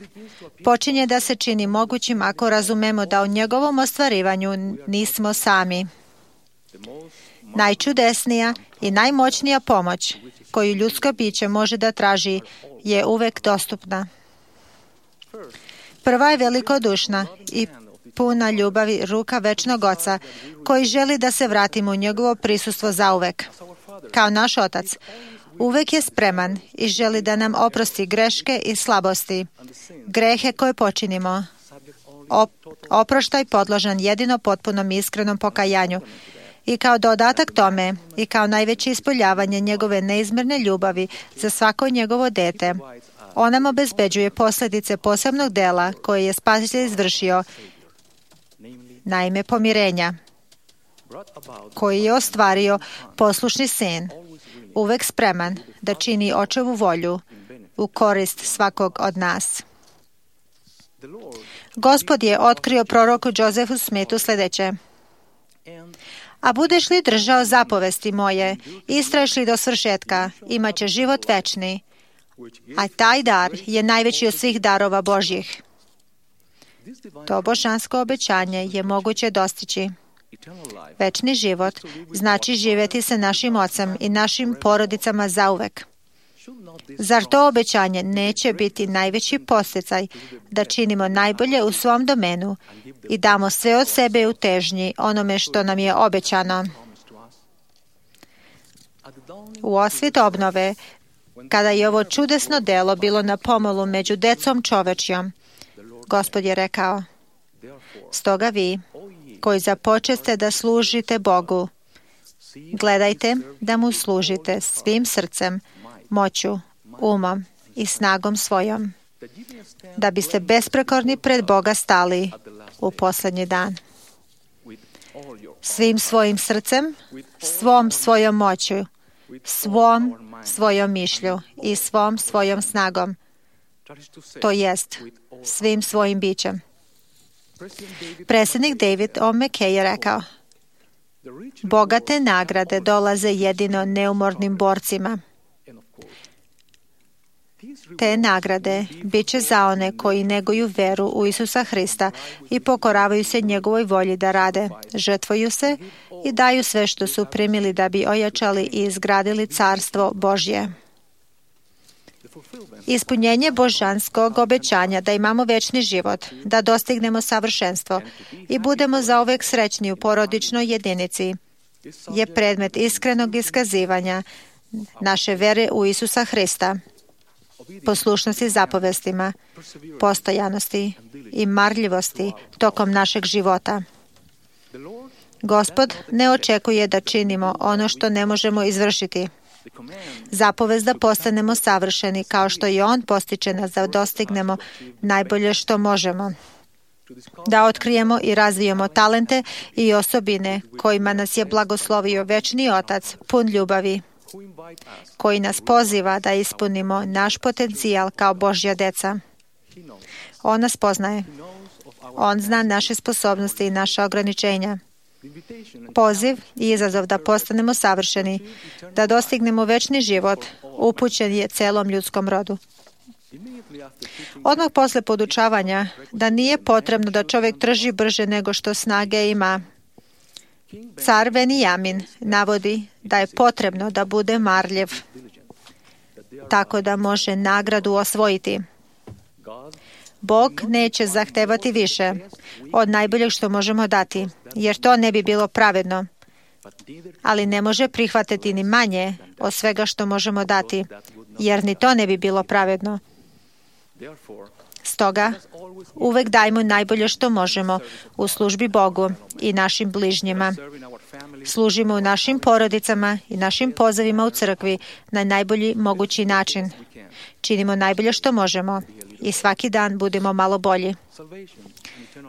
počinje da se čini mogućim ako razumemo da u njegovom ostvarivanju nismo sami. Najčudesnija i najmoćnija pomoć koju ljudsko biće može da traži je uvek dostupna. Prva je velikodušna i puna ljubavi ruka večnog Oca, koji želi da se vratimo u njegovo prisustvo zauvek. Kao naš Otac, uvek je spreman i želi da nam oprosti greške i slabosti, grehe koje počinimo. Oproštaj podložan jedino potpunom iskrenom pokajanju. I kao dodatak tome i kao najveće ispoljavanje njegove neizmjerne ljubavi za svako njegovo dete, on nam obezbeđuje posljedice posebnog dela koje je Spasitelj izvršio, naime pomirenja, koji je ostvario poslušni sin, uvek spreman da čini očevu volju u korist svakog od nas. Gospod je otkrio proroku Josefu Smithu sljedeće: a budeš li držao zapovesti moje, istraješ li do svršetka, imat će život večni, a taj dar je najveći od svih darova Božjih. To božansko obećanje je moguće dostići. Večni život znači živjeti sa našim ocem i našim porodicama zauvek. Zar to obećanje neće biti najveći podsticaj da činimo najbolje u svom domenu i damo sve od sebe u težnji onome što nam je obećano? U osvit obnove, kada je ovo čudesno delo bilo na pomolu među decom čovečjom, Gospod je rekao: stoga vi, koji započeste da služite Bogu, gledajte da mu služite svim srcem, moću, umom i snagom svojom, da biste besprekorni pred Boga stali u posljednji dan. Svim svojim srcem, svom svojom moću, svom svojom mišlju i svom svojom snagom, to jest svim svojim bićem. Predsjednik David O. McKay je rekao: bogate nagrade dolaze jedino neumornim borcima. Te nagrade bit će za one koji neguju veru u Isusa Hrista i pokoravaju se njegovoj volji da rade, žrtvuju se i daju sve što su primili da bi ojačali i izgradili carstvo Božje. Ispunjenje božanskog obećanja da imamo večni život, da dostignemo savršenstvo i budemo zauvek srećni u porodičnoj jedinici, je predmet iskrenog iskazivanja naše vere u Isusa Hrista, poslušnosti zapovestima, postojanosti i marljivosti tokom našeg života. Gospod ne očekuje da činimo ono što ne možemo izvršiti. Zapovest da postanemo savršeni kao što i On postiče nas da dostignemo najbolje što možemo. Da otkrijemo i razvijemo talente i osobine kojima nas je blagoslovio večni Otac, pun ljubavi, koji nas poziva da ispunimo naš potencijal kao Božja deca. On nas poznaje. On zna naše sposobnosti i naša ograničenja. Poziv i izazov da postanemo savršeni, da dostignemo večni život, upućen je celom ljudskom rodu. Odmah posle podučavanja da nije potrebno da čovjek trži brže nego što snage ima, car Venijamin navodi da je potrebno da bude marljiv, tako da može nagradu osvojiti. Bog neće zahtevati više od najboljeg što možemo dati, jer to ne bi bilo pravedno, ali ne može prihvatiti ni manje od svega što možemo dati, jer ni to ne bi bilo pravedno. Stoga, uvek dajmo najbolje što možemo u službi Bogu i našim bližnjima. Služimo u našim porodicama i našim pozivima u crkvi na najbolji mogući način. Činimo najbolje što možemo i svaki dan budemo malo bolji.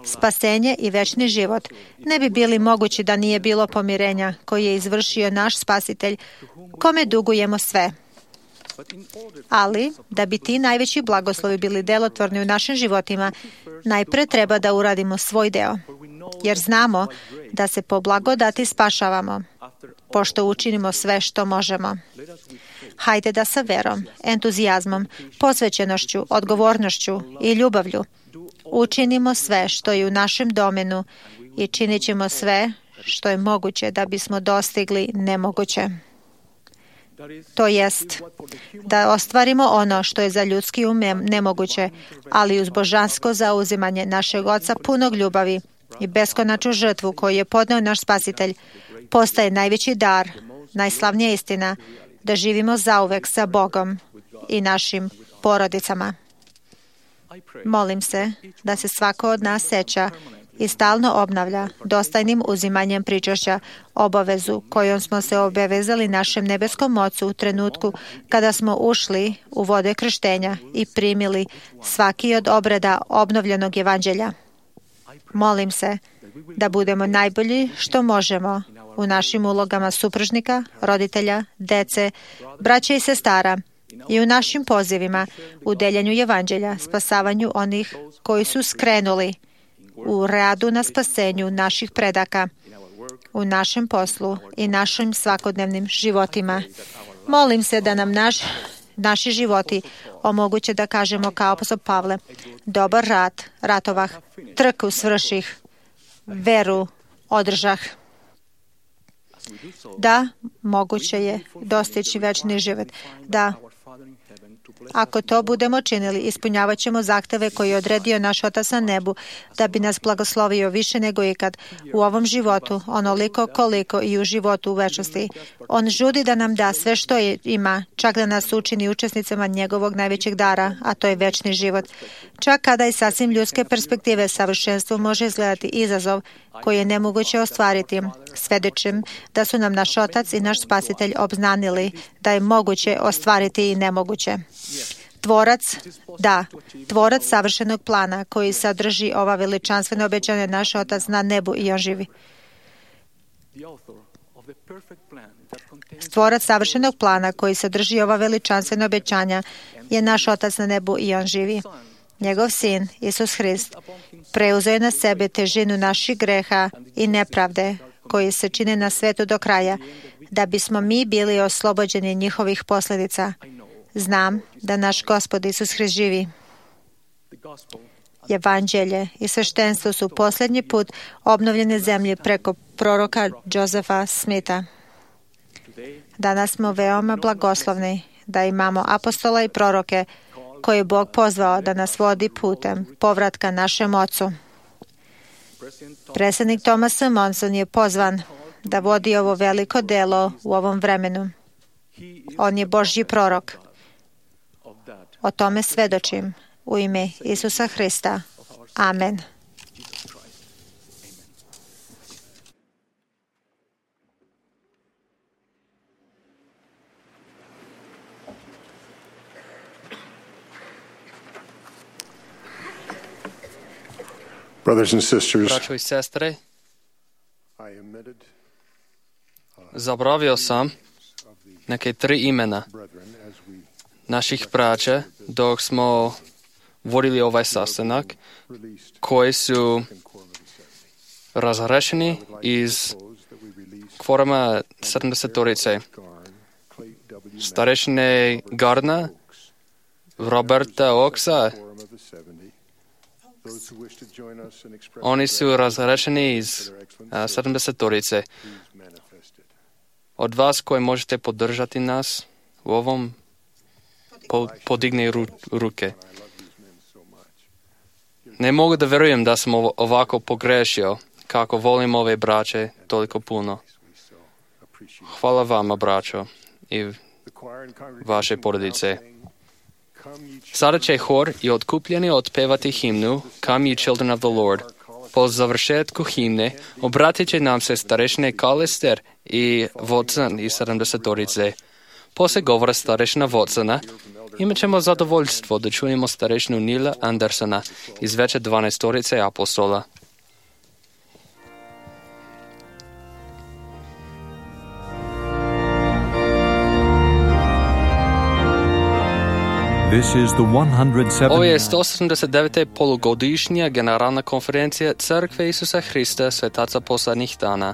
Spasenje i večni život ne bi bili mogući da nije bilo pomirenja koje je izvršio naš Spasitelj, kome dugujemo sve. Ali, da bi ti najveći blagoslovi bili delotvorni u našim životima, najpre treba da uradimo svoj deo, jer znamo da se po blagodati spašavamo, pošto učinimo sve što možemo. Hajde da sa verom, entuzijazmom, posvećenošću, odgovornošću i ljubavlju učinimo sve što je u našem domenu i činit ćemo sve što je moguće da bismo dostigli nemoguće. To jest, da ostvarimo ono što je za ljudski um nemoguće, ali uz božansko zauzimanje našeg Oca punog ljubavi i beskonačnu žrtvu koju je podneo naš Spasitelj, postaje najveći dar, najslavnija istina, da živimo zauvek sa Bogom i našim porodicama. Molim se da se svako od nas seća i stalno obnavlja dostajnim uzimanjem pričašća obavezu kojom smo se obavezali našem nebeskom Ocu u trenutku kada smo ušli u vode krštenja i primili svaki od obreda obnovljenog evanđelja. Molim se da budemo najbolji što možemo u našim ulogama supružnika, roditelja, dece, braće i sestara i u našim pozivima u deljenju evanđelja, spasavanju onih koji su skrenuli, u radu na spasenju naših predaka, u našem poslu i našim svakodnevnim životima. Molim se da nam naši životi omoguće da kažemo kao apostol Pavle: dobar rat ratovah, trku svrših, veru održah. Da, moguće je dostići večni život. Da, ako to budemo činili, ispunjavat ćemo zahteve koje je odredio naš Otac na nebu, da bi nas blagoslovio više nego ikad u ovom životu, onoliko koliko i u životu u večnosti. On žudi da nam da sve što ima, čak da nas učini učesnicama njegovog najvećeg dara, a to je večni život. Čak kada iz sasvim ljudske perspektive savršenstvo može izgledati izazov koji je nemoguće ostvariti, svedočim da su nam naš Otac i naš Spasitelj obznanili da je moguće ostvariti i nemoguće. Tvorac savršenog plana koji sadrži ova veličanstvena obećanja, naš Otac na nebu i on živi. Tvorac savršenog plana koji sadrži ova veličanstvena obećanja je naš Otac na nebu i on živi. Njegov sin, Isus Hrist, preuzeo je na sebe težinu naših greha i nepravde koji se čine na svetu do kraja, da bismo mi bili oslobođeni njihovih posljedica. Znam da naš Gospod Isus Hrist živi. Evanđelje i sveštenstvo su posljednji put obnovljene zemlje preko proroka Josefa Smitha. Danas smo veoma blagoslovni da imamo apostola i proroke koje je Bog pozvao da nas vodi putem povratka našem Ocu. Predsjednik Thomas S. Monson je pozvan da vodi ovo veliko delo u ovom vremenu. On je Božji prorok. O tome svedočim u ime Isusa Hrista. Amen. Brothers and sisters, Braćo i sestre, zabravio sam neke 3 imena naših braća dok smo vodili ovaj sastanak, koji su razrešeni iz kvoruma 70-torice. Starešine Gardna, Roberta Oaksa. Oni su razrešeni iz 70-torice. Od vas koji možete podržati nas u ovom, podigne ruke. Ne mogu da verujem da sam ovako pogrešio, kako volim ove braće toliko puno. Hvala vama, braćo, i vaše porodice. Sada će hor i otkupljeni otpevati himnu Come ye children of the Lord. Po završetku himne obratit će nam se starešine Kalester i Watson iz 70-torice. Poslije govora starešina Watsona imat ćemo zadovoljstvo da čujemo starešinu Nila Andersona iz veće 12-torice apostola. Ovo je 179. polugodišnja generalna konferencija Crkve Isusa Hrista Svetaca poslednjih dana.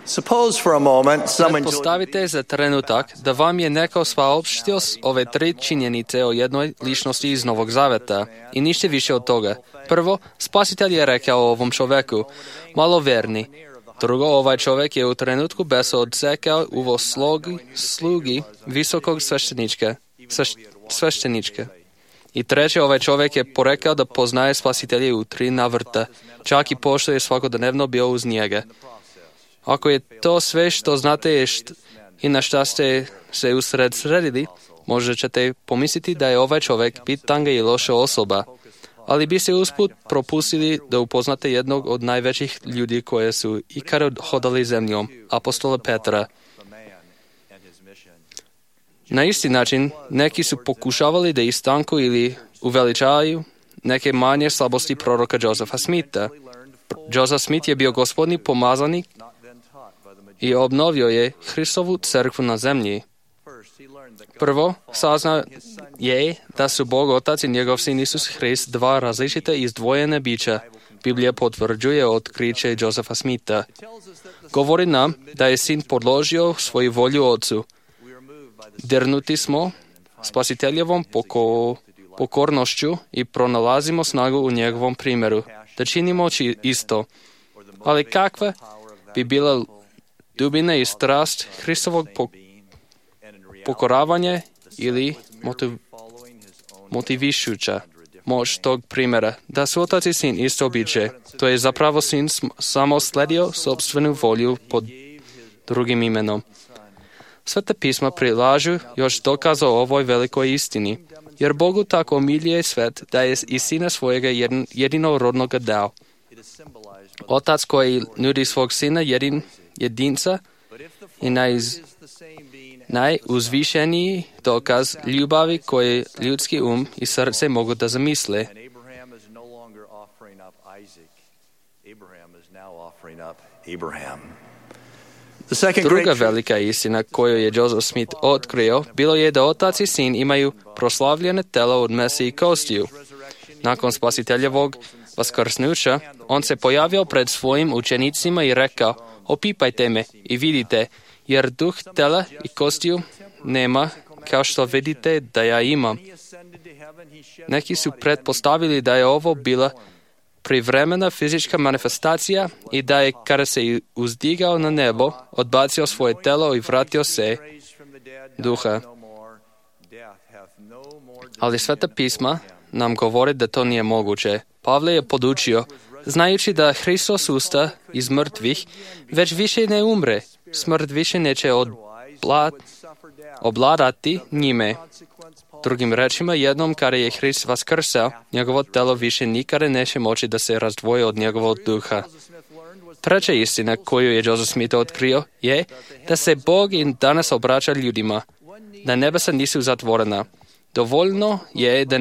Suppose for a moment someone Predpostavite za trenutak da vam je neko saopštio ove tri činjenice o jednoj ličnosti iz Novog Zaveta i ništa više od toga. Prvo, Spasitelj je rekao ovom čoveku, maloverni. Drugo, ovaj čovek je u trenutku besa odsekao uvo slugi visokog sveštenička. I treće, ovaj čovek je porekao da poznaje Spasitelja u 3 navrata, čak i pošto je svakodnevno bio uz njega. Ako je to sve što znate i na šta ste se usredsredili, možda ćete pomisliti da je ovaj čovek bitanga i loša osoba, ali biste usput propustili da upoznate jednog od najvećih ljudi koje su ikada hodali zemljom, apostola Petra. Na isti način, neki su pokušavali da istanku ili uveličaju neke manje slabosti proroka Josefa Smitha. Joseph Smith je bio gospodni pomazanik i obnovio je Hristovu crkvu na zemlji. Prvo, saznao je da su Bog Otac i njegov sin Isus Hrist 2 različite izdvojene bića. Biblija potvrđuje otkriće Josefa Smitha. Govori nam da je sin podložio svoju volju Otcu. Dirnuti smo Spasiteljevom pokornošću i pronalazimo snagu u njegovom primjeru, da činimo isto. Ali kakva bi bila dubina i strast Hristovog pokoravanja ili motivišuća moć tog primjera, da su Otac i Sin isto biće. To je zapravo Sin samo sledio sopstvenu volju pod drugim imenom. Sveta pisma prilažu još dokaza o ovoj velikoj istini, jer Bogu tako miljuje svet da je i Sina svojega jedinorodnoga dao. Otac koji nudi svog Sina jedinca i najuzvišeniji dokaz ljubavi koje ljudski i srce mogu da zamisle. Druga velika istina koju je Joseph Smith otkrio bilo je da Otac i Sin imaju proslavljene telo od mesa i kostiju. Nakon Spasiteljevog vaskrsnuća, on se pojavio pred svojim učenicima i rekao, opipajte me i vidite, jer duh tela i kostiju nema, kao što vidite da ja imam. Neki su pretpostavili da je ovo bila privremena fizička manifestacija i da je, kada se uzdigao na nebo, odbacio svoje telo i vratio se duha. Ali Sveta pisma nam govori da to nije moguće. Pavle je podučio, znajući da Hristos usta iz mrtvih, već više ne umre. Smrt više neće obladati njime. Drugim rečima, jednom kada je Hrist vaskrsao, njegovo telo više nikada neće moći da se razdvoji od njegovog duha. Treća istina koju je Joseph Smith otkrio je da se Bog i danas obraća ljudima, da nebesa nisu zatvorena. Dovoljno je da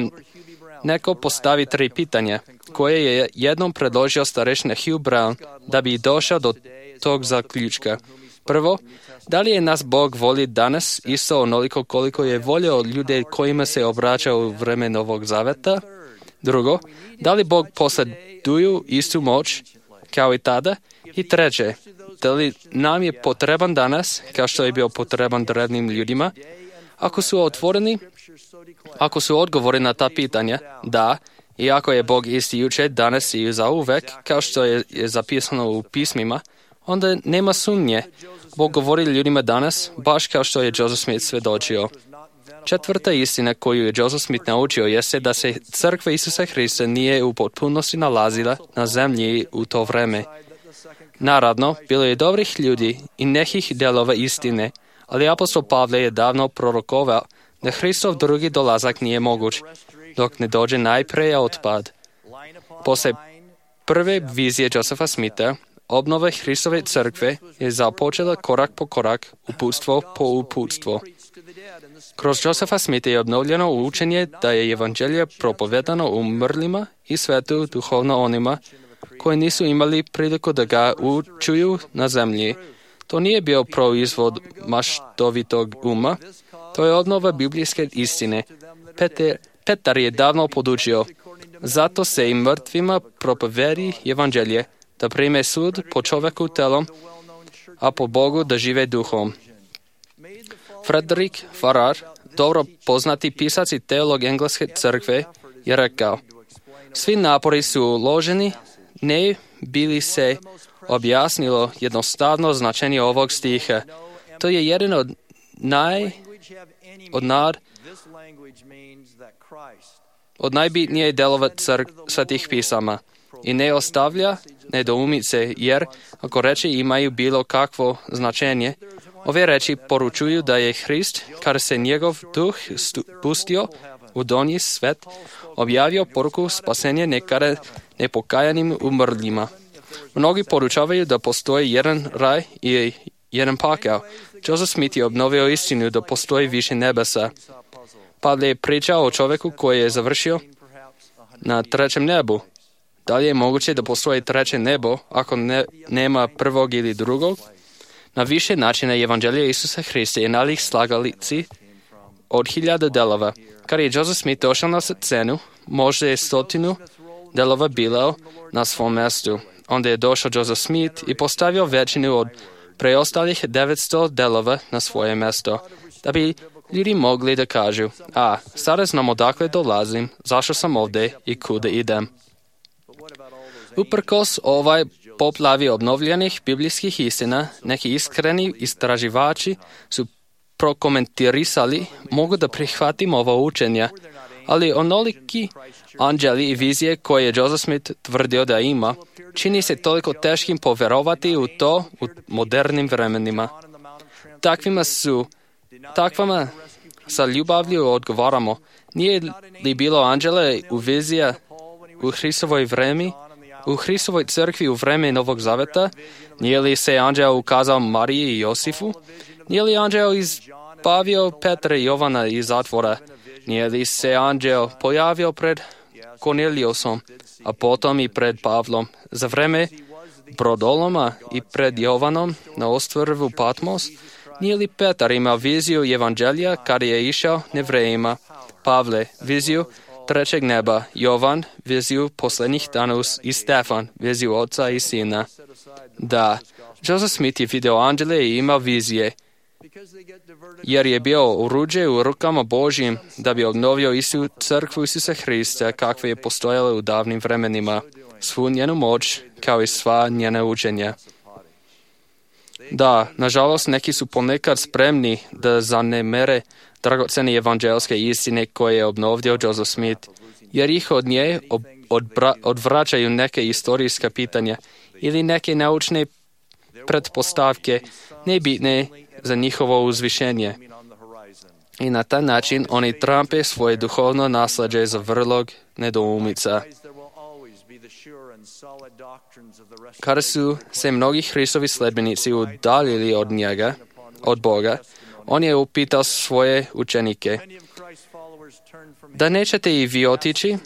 neko postavi 3 pitanja, koje je jednom predložio starešina Hugh Brown da bi došao do tog zaključka. Prvo, da li je nas Bog voli danas isto onoliko koliko je volio ljude kojima se obraća u vreme Novog Zaveta? Drugo, da li Bog posjeduju istu moć kao i tada? I treće, da li nam je potreban danas, kao što je bio potreban drevnim ljudima? Ako su odgovori na ta pitanja, da, i ako je Bog isti jučer, danas i zauvek, kao što je zapisano u pismima, onda nema sumnje. Bog govori ljudima danas, baš kao što je Joseph Smith svedočio. Četvrta istina koju je Joseph Smith naučio jeste da se crkva Isusa Hrista nije u potpunosti nalazila na zemlji u to vreme. Naravno, bilo je dobrih ljudi i nekih delova istine, ali apostol Pavle je davno prorokovao da Hristov drugi dolazak nije moguć, dok ne dođe najprije otpad. Posle prve vizije Josepha Smitha, obnova Hristove crkve je započela korak po korak, uputstvo po uputstvo. Kroz Josepha Smitha je obnovljeno učenje da je evanđelje propovedano umrlima i svetu duhovno onima koji nisu imali priliku da ga čuju na zemlji. To nije bio proizvod maštovitog uma, to je obnova biblijske istine. Petar je davno podučio, zato se i mrtvima propovedi evanđelje, da prime sud po čoveku telom, a po Bogu da žive duhom. Frederick Farrar, dobro poznati pisac i teolog engleske crkve, je rekao: svi napori su uloženi, ne bi li se objasnilo jednostavno značenje ovog stiha. To je jedan od najbitnije delova svetih pisama i ne ostavlja nedoumice, jer ako reči imaju bilo kakvo značenje, ove reči poručuju da je Hrist, kada se njegov duh spustio u donji svet, objavio poruku spasenja nekada nepokajanim umrljima. Mnogi poručavaju da postoji jedan raj i jedan pakao. Joseph Smith je obnovio istinu da postoji više nebesa. Pavle je pričao o čovjeku koji je završio na trećem nebu. Da li je moguće da postoji treće nebo ako nema prvog ili drugog? Na više načina Evanđelje Isusa Hrista je nalik slagalici od 1000 delova. Kada je Joseph Smith došao na scenu, možda je 100 delova bilo na svom mjestu. Onda je došao Joseph Smith i postavio većinu od preostalih 900 delova na svoje mjesto, da bi ljudi mogli da kažu: sada znam odakle dolazim, zašto sam ovdje i kuda idem. Uprkos ovaj poplavi obnovljenih biblijskih istina, neki iskreni istraživači su prokomentarisali: mogu da prihvatim ova učenja, ali onoliki anđeli i vizije koje je Joseph Smith tvrdio da ima, čini se toliko teškim poverovati u to u modernim vremenima. Takvima sa ljubavlju odgovaramo: nije li bilo anđela u vizija u Hristovoj vremi, u Hristovoj crkvi u vreme Novog Zaveta? Nije li se anđeo ukazao Mariji i Josifu? Nije li anđeo izbavio Petra i Jovana iz zatvora? Nije li se anđeo pojavio pred Korneliusom, a potom i pred Pavlom, za vreme brodoloma i pred Jovanom na ostrvu Patmos? Nije li Petar imao viziju Evanđelja kada je išao Nevrejima? Pavle, viziju trećeg neba, Jovan, viziju posljednjih dana i Stefan, viziju oca i sina. Da, Joseph Smith je video anđele i imao vizije, jer je bio oruđe u rukama Božjim da bi obnovio crkvu Isusa Hrista kakva je postojala u davnim vremenima, svu njenu moć kao i sva njena učenja. Da, nažalost, neki su ponekad spremni da zanemere dragocene evanđelske istine koje je obnovio Joseph Smith, jer ih od nje odvraćaju neke istorijska pitanja ili neke naučne pretpostavke nebitne za njihovo uzvišenje. I na taj način oni trampe svoje duhovno naslađe za vrlog nedoumica. Kada su se mnogi Hristovi sledbenici udaljili od Boga, on je upitao svoje učenike: da nećete i vi otići?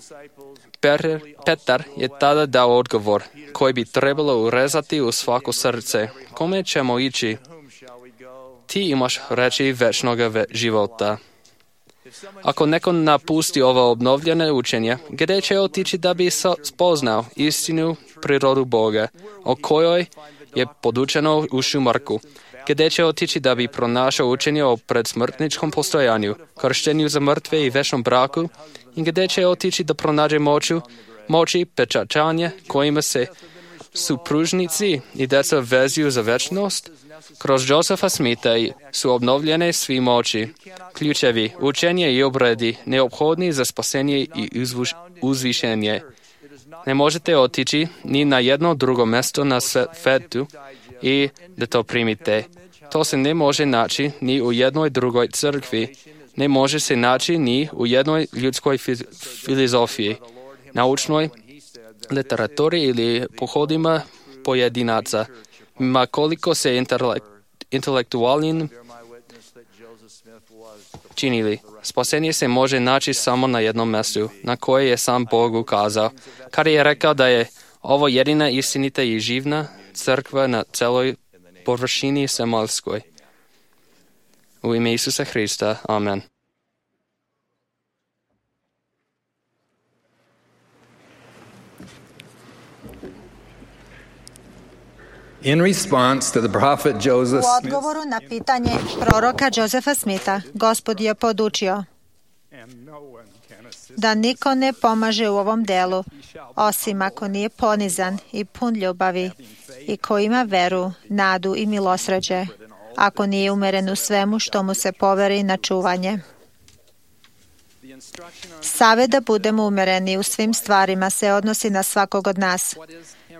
Petar je tada dao odgovor koji bi trebalo urezati u svako srce: kome ćemo ići? Ti imaš reči večnog života. Ako neko napusti ovo obnovljene učenje, gdje će otići da bi spoznao istinu prirodu Boga, o kojoj je podučeno u Šumarku? Gdje će otići da bi pronašao učenje o predsmrtničkom postojanju, krštenju za mrtve i večnom braku? I gdje će otići da pronađe moći pečačanja kojima se supružnici i deca vezuju za večnost? Kroz Josepha Smitha su obnovljene svi moći, ključevi, učenje i obredi neophodni za spasenje i uzvišenje. Ne možete otići ni na jedno drugo mjesto na svetu i da to primite. To se ne može naći ni u jednoj drugoj crkvi, ne može se naći ni u jednoj ljudskoj filozofiji, naučnoj literaturi ili pohodima pojedinaca. Ma koliko se intelektualnim činili, spasenje se može naći samo na jednom mjestu, na koje je sam Bog ukazao, kada je rekao da je ovo jedina istinita i živna crkva na celoj površini zemaljskoj. U ime Isusa Hrista. Amen. In response to the prophet Joseph U odgovoru na pitanje proroka Josefa Smitha, Gospod je podučio da niko ne pomaže u ovom delu, osim ako nije ponizan i pun ljubavi i ko ima veru, nadu i milosrđe, ako nije umeren u svemu što mu se poveri na čuvanje. Savet da budemo umereni u svim stvarima se odnosi na svakog od nas.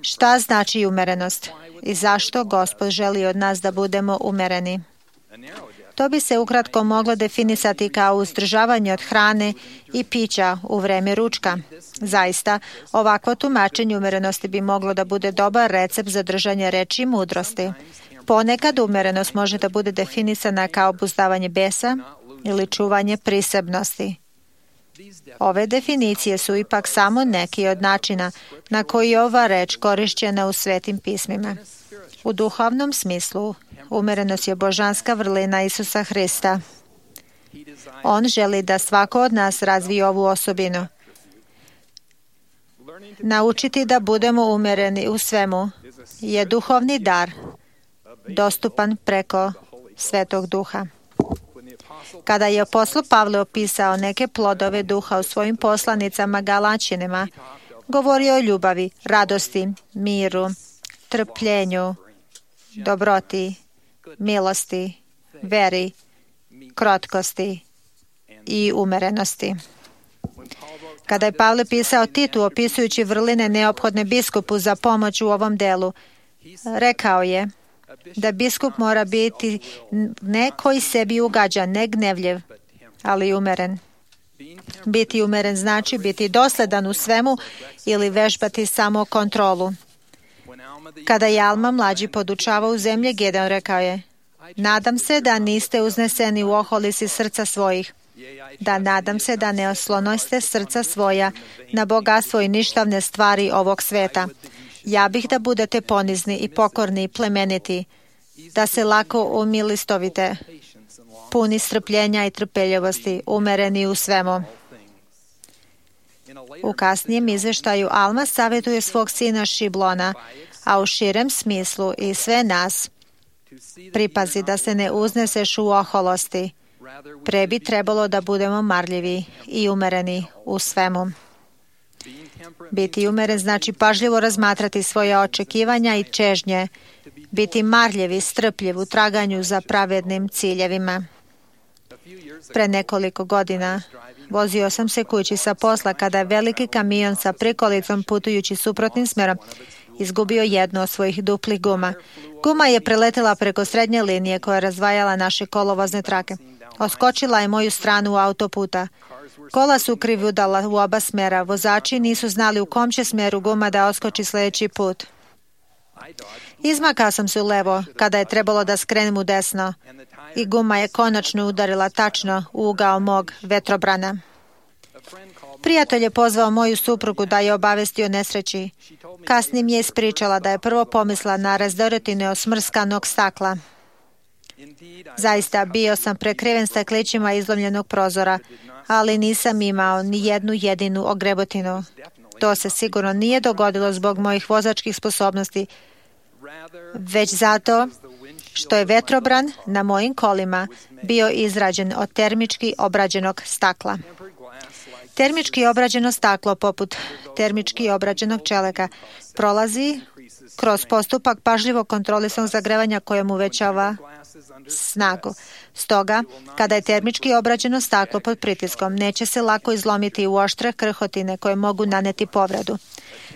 Šta znači umerenost i zašto Gospod želi od nas da budemo umereni? To bi se ukratko moglo definisati kao uzdržavanje od hrane i pića u vreme ručka. Zaista, ovakvo tumačenje umerenosti bi moglo da bude dobar recept za držanje reči i mudrosti. Ponekad umerenost može da bude definisana kao obuzdavanje besa ili čuvanje prisebnosti. Ove definicije su ipak samo neki od načina na koji je ova reč korišćena u svetim pismima. U duhovnom smislu, umerenost je božanska vrlina Isusa Hrista. On želi da svako od nas razvije ovu osobinu. Naučiti da budemo umereni u svemu je duhovni dar, dostupan preko Svetog Duha. Kada je apostol Pavle opisao neke plodove duha u svojim poslanicama Galaćanima, govorio o ljubavi, radosti, miru, trpljenju, dobroti, milosti, veri, krotkosti i umerenosti. Kada je Pavle pisao Titu opisujući vrline neophodne biskupu za pomoć u ovom delu, rekao je da biskup mora biti ne koji sebi ugađa, ne gnevljiv, ali umeren. Biti umeren znači biti dosledan u svemu ili vežbati samo kontrolu. Kada je Alma mlađi podučavao u zemlji Gedeon, rekao je: nadam se da niste uzneseni u oholisi srca svojih, da nadam se da ne oslonoste srca svoja na bogatstvo i ništavne stvari ovog sveta. Ja bih da budete ponizni i pokorni i plemeniti, da se lako umilistovite, puni strpljenja i trpeljivosti, umereni u svemu. U kasnijem izveštaju Alma savjetuje svog sina Šiblona, a u širem smislu i sve nas, pripazi da se ne uzneseš u oholosti. Pre bi trebalo da budemo marljivi i umereni u svemu. Biti umeren znači pažljivo razmatrati svoje očekivanja i čežnje, biti marljiv i strpljiv u traganju za pravednim ciljevima. Pre nekoliko godina vozio sam se kući sa posla kada je veliki kamion sa prikolicom putujući suprotnim smerom izgubio jednu od svojih duplih guma. Guma je preletela preko srednje linije koja je razdvajala naše kolovozne trake. Oskočila je moju stranu autoputa. Kola su krivudala u oba smera. Vozači nisu znali u kom će smeru guma da oskoči sljedeći put. Izmakao sam se u levo kada je trebalo da skrenem u desno i guma je konačno udarila tačno u ugao mog vetrobrana. Prijatelj je pozvao moju suprugu da je obavesti o nesreći. Kasnije mi je ispričala da je prvo pomisla na razdoretine od smrskanog stakla. Zaista bio sam prekriven staklićima izlomljenog prozora, ali nisam imao ni jednu jedinu ogrebotinu. To se sigurno nije dogodilo zbog mojih vozačkih sposobnosti, već zato što je vetrobran na mojim kolima bio izrađen od termički obrađenog stakla. Termički obrađeno staklo, poput termički obrađenog čelika, prolazi kroz postupak pažljivo kontrolisanog zagrevanja kojem uvećava snagu. Stoga, kada je termički obrađeno staklo pod pritiskom, neće se lako izlomiti u oštre krhotine koje mogu naneti povredu.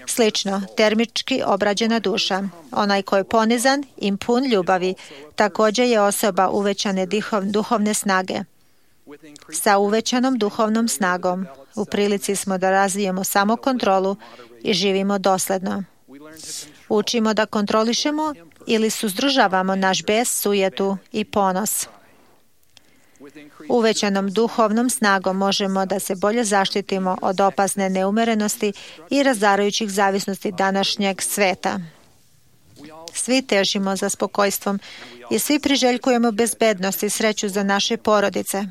Slično, termički obrađena duša, onaj ko je ponizan i pun ljubavi, također je osoba uvećane duhovne snage. Sa uvećanom duhovnom snagom u prilici smo da razvijemo samokontrolu i živimo dosledno. Učimo da kontrolišemo ili suzdržavamo naš bes, sujetu i ponos. Uvećanom duhovnom snagom možemo da se bolje zaštitimo od opasne neumerenosti i razarajućih zavisnosti današnjeg sveta. Svi težimo za spokojstvom i svi priželjkujemo bezbednost i sreću za naše porodice.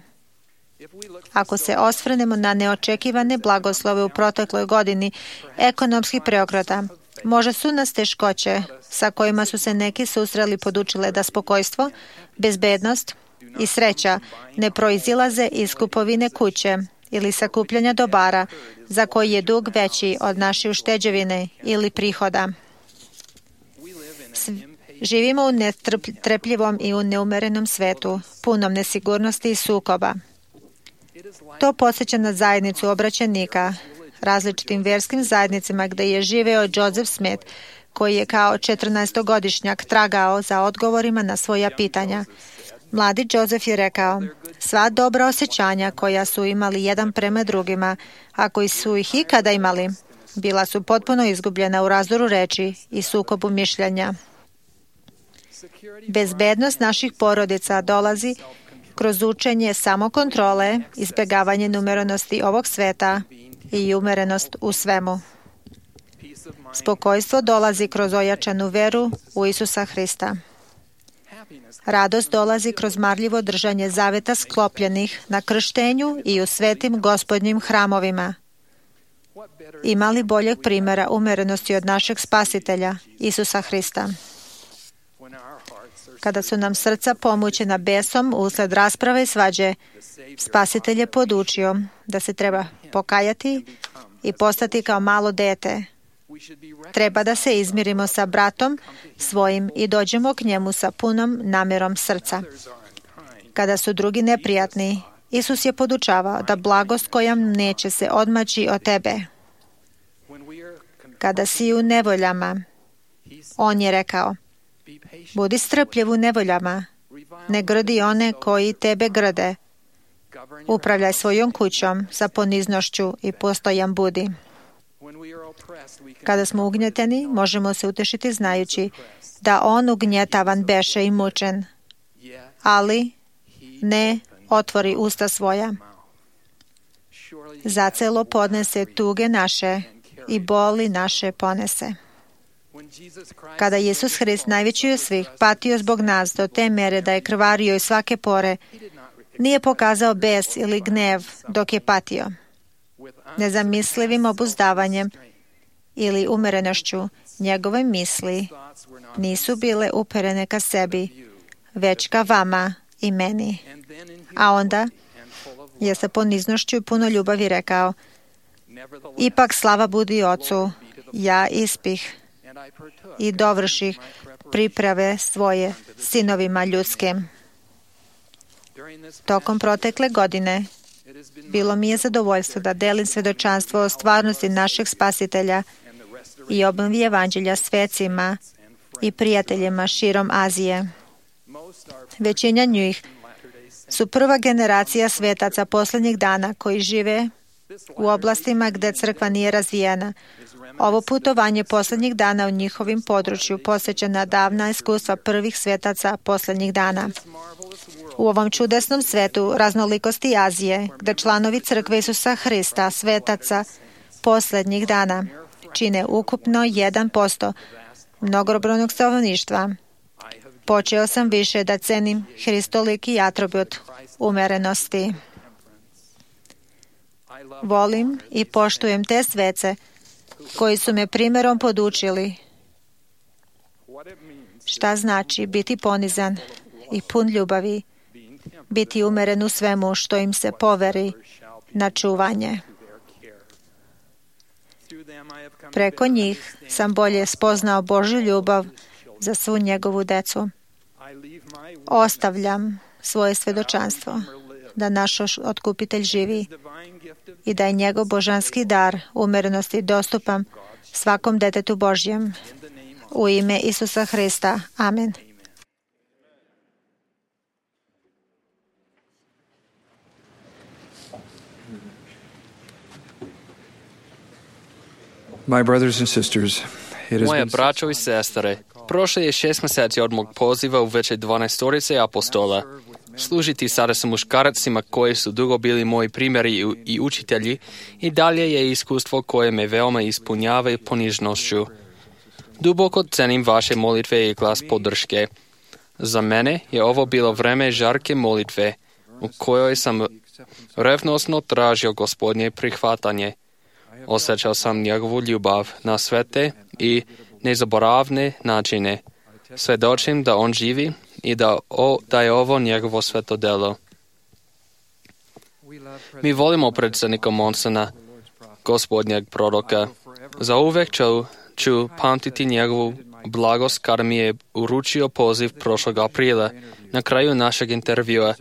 Ako se osvrnemo na neočekivane blagoslove u protekloj godini ekonomskih preokreta, Možda su nas teškoće sa kojima su se neki susreli podučile da spokojstvo, bezbednost i sreća ne proizilaze iz kupovine kuće ili sakupljanja dobara za koji je dug veći od naše ušteđevine ili prihoda. Živimo u netrpljivom i u neumerenom svetu, punom nesigurnosti i sukoba. To podsjeća na zajednicu obraćenika, različitim verskim zajednicama gde je živeo Joseph Smith, koji je kao 14-godišnjak tragao za odgovorima na svoja pitanja. Mladi Joseph je rekao, sva dobra osjećanja koja su imali jedan prema drugima, a koji su ih ikada imali, bila su potpuno izgubljena u razdoru reči i sukobu mišljenja. Bezbednost naših porodica dolazi kroz učenje samokontrole, izbjegavanje umerenosti ovog sveta i umerenost u svemu. Spokojstvo dolazi kroz ojačanu veru u Isusa Hrista. Radost dolazi kroz marljivo držanje zaveta sklopljenih na krštenju i u svetim gospodnjim hramovima. Ima li boljeg primjera umerenosti od našeg spasitelja, Isusa Hrista? Kada su nam srca pomućena besom usled rasprave i svađe, spasitelj je podučio da se treba pokajati i postati kao malo dete. Treba da se izmirimo sa bratom svojim i dođemo k njemu sa punom namjerom srca. Kada su drugi neprijatni, Isus je podučavao da blagost koja neće se odmaći od tebe. Kada si u nevoljama, on je rekao, budi strpljiv u nevoljama, ne grdi one koji tebe grde. Upravljaj svojom kućom sa poniznošću i postojan budi. Kada smo ugnjeteni, možemo se utešiti znajući da on ugnjetavan beše i mučen, ali ne otvori usta svoja. Zacelo podnese tuge naše i boli naše ponese. Kada Isus Hrist, najveći od svih, patio zbog nas do te mere da je krvario iz svake pore, nije pokazao bes ili gnev dok je patio. Nezamislivim obuzdavanjem ili umerenošću njegove misli nisu bile uperene ka sebi, već ka vama i meni. A onda je sa poniznošću i puno ljubavi rekao, ipak slava budi Ocu, ja ispih i dovrših priprave svoje sinovima ljudskim. Tokom protekle godine bilo mi je zadovoljstvo da delim svedočanstvo o stvarnosti našeg spasitelja i obnovi evanđelja svecima i prijateljima širom Azije. Većina njih su prva generacija svetaca posljednjih dana koji žive u oblastima gde crkva nije razvijena. Ovo putovanje posljednjih dana u njihovim području posjeća na davna iskustva prvih svetaca posljednjih dana. U ovom čudesnom svetu raznolikosti Azije, gde članovi crkve Isusa Hrista, svetaca posljednjih dana, čine ukupno 1% mnogobrojnog stanovništva, počeo sam više da cenim hristoliki atribut umerenosti. Volim i poštujem te svece koji su me primjerom podučili šta znači biti ponizan i pun ljubavi, biti umeren u svemu što im se poveri na čuvanje. Preko njih sam bolje spoznao Božju ljubav za svu njegovu decu. Ostavljam svoje svedočanstvo da naš otkupitelj živi i da je njegov božanski dar umerenosti dostupan svakom detetu Božjem. U ime Isusa Hrista. Amen. My brothers and sisters, Moje braćo i sestre, prošlo je 6 mjeseci od mog poziva u veće 12 apostola. Služiti sada sa muškarcima koji su dugo bili moji primjeri i učitelji i dalje je iskustvo koje me veoma ispunjava ponižnošću. Duboko cenim vaše molitve i glas podrške. Za mene je ovo bilo vreme žarke molitve, u kojoj sam revnosno tražio Gospodnje prihvatanje. Osjećao sam njegovu ljubav na svete i nezaboravne načine. Svedočim da on živi i da je ovo njegovo sveto delo. Mi volimo predsjednika Monsona, Gospodnjeg proroka. Zauvek ću pamtiti njegovu blagost kada mi je uručio poziv prošlog aprila. Na kraju našeg intervjua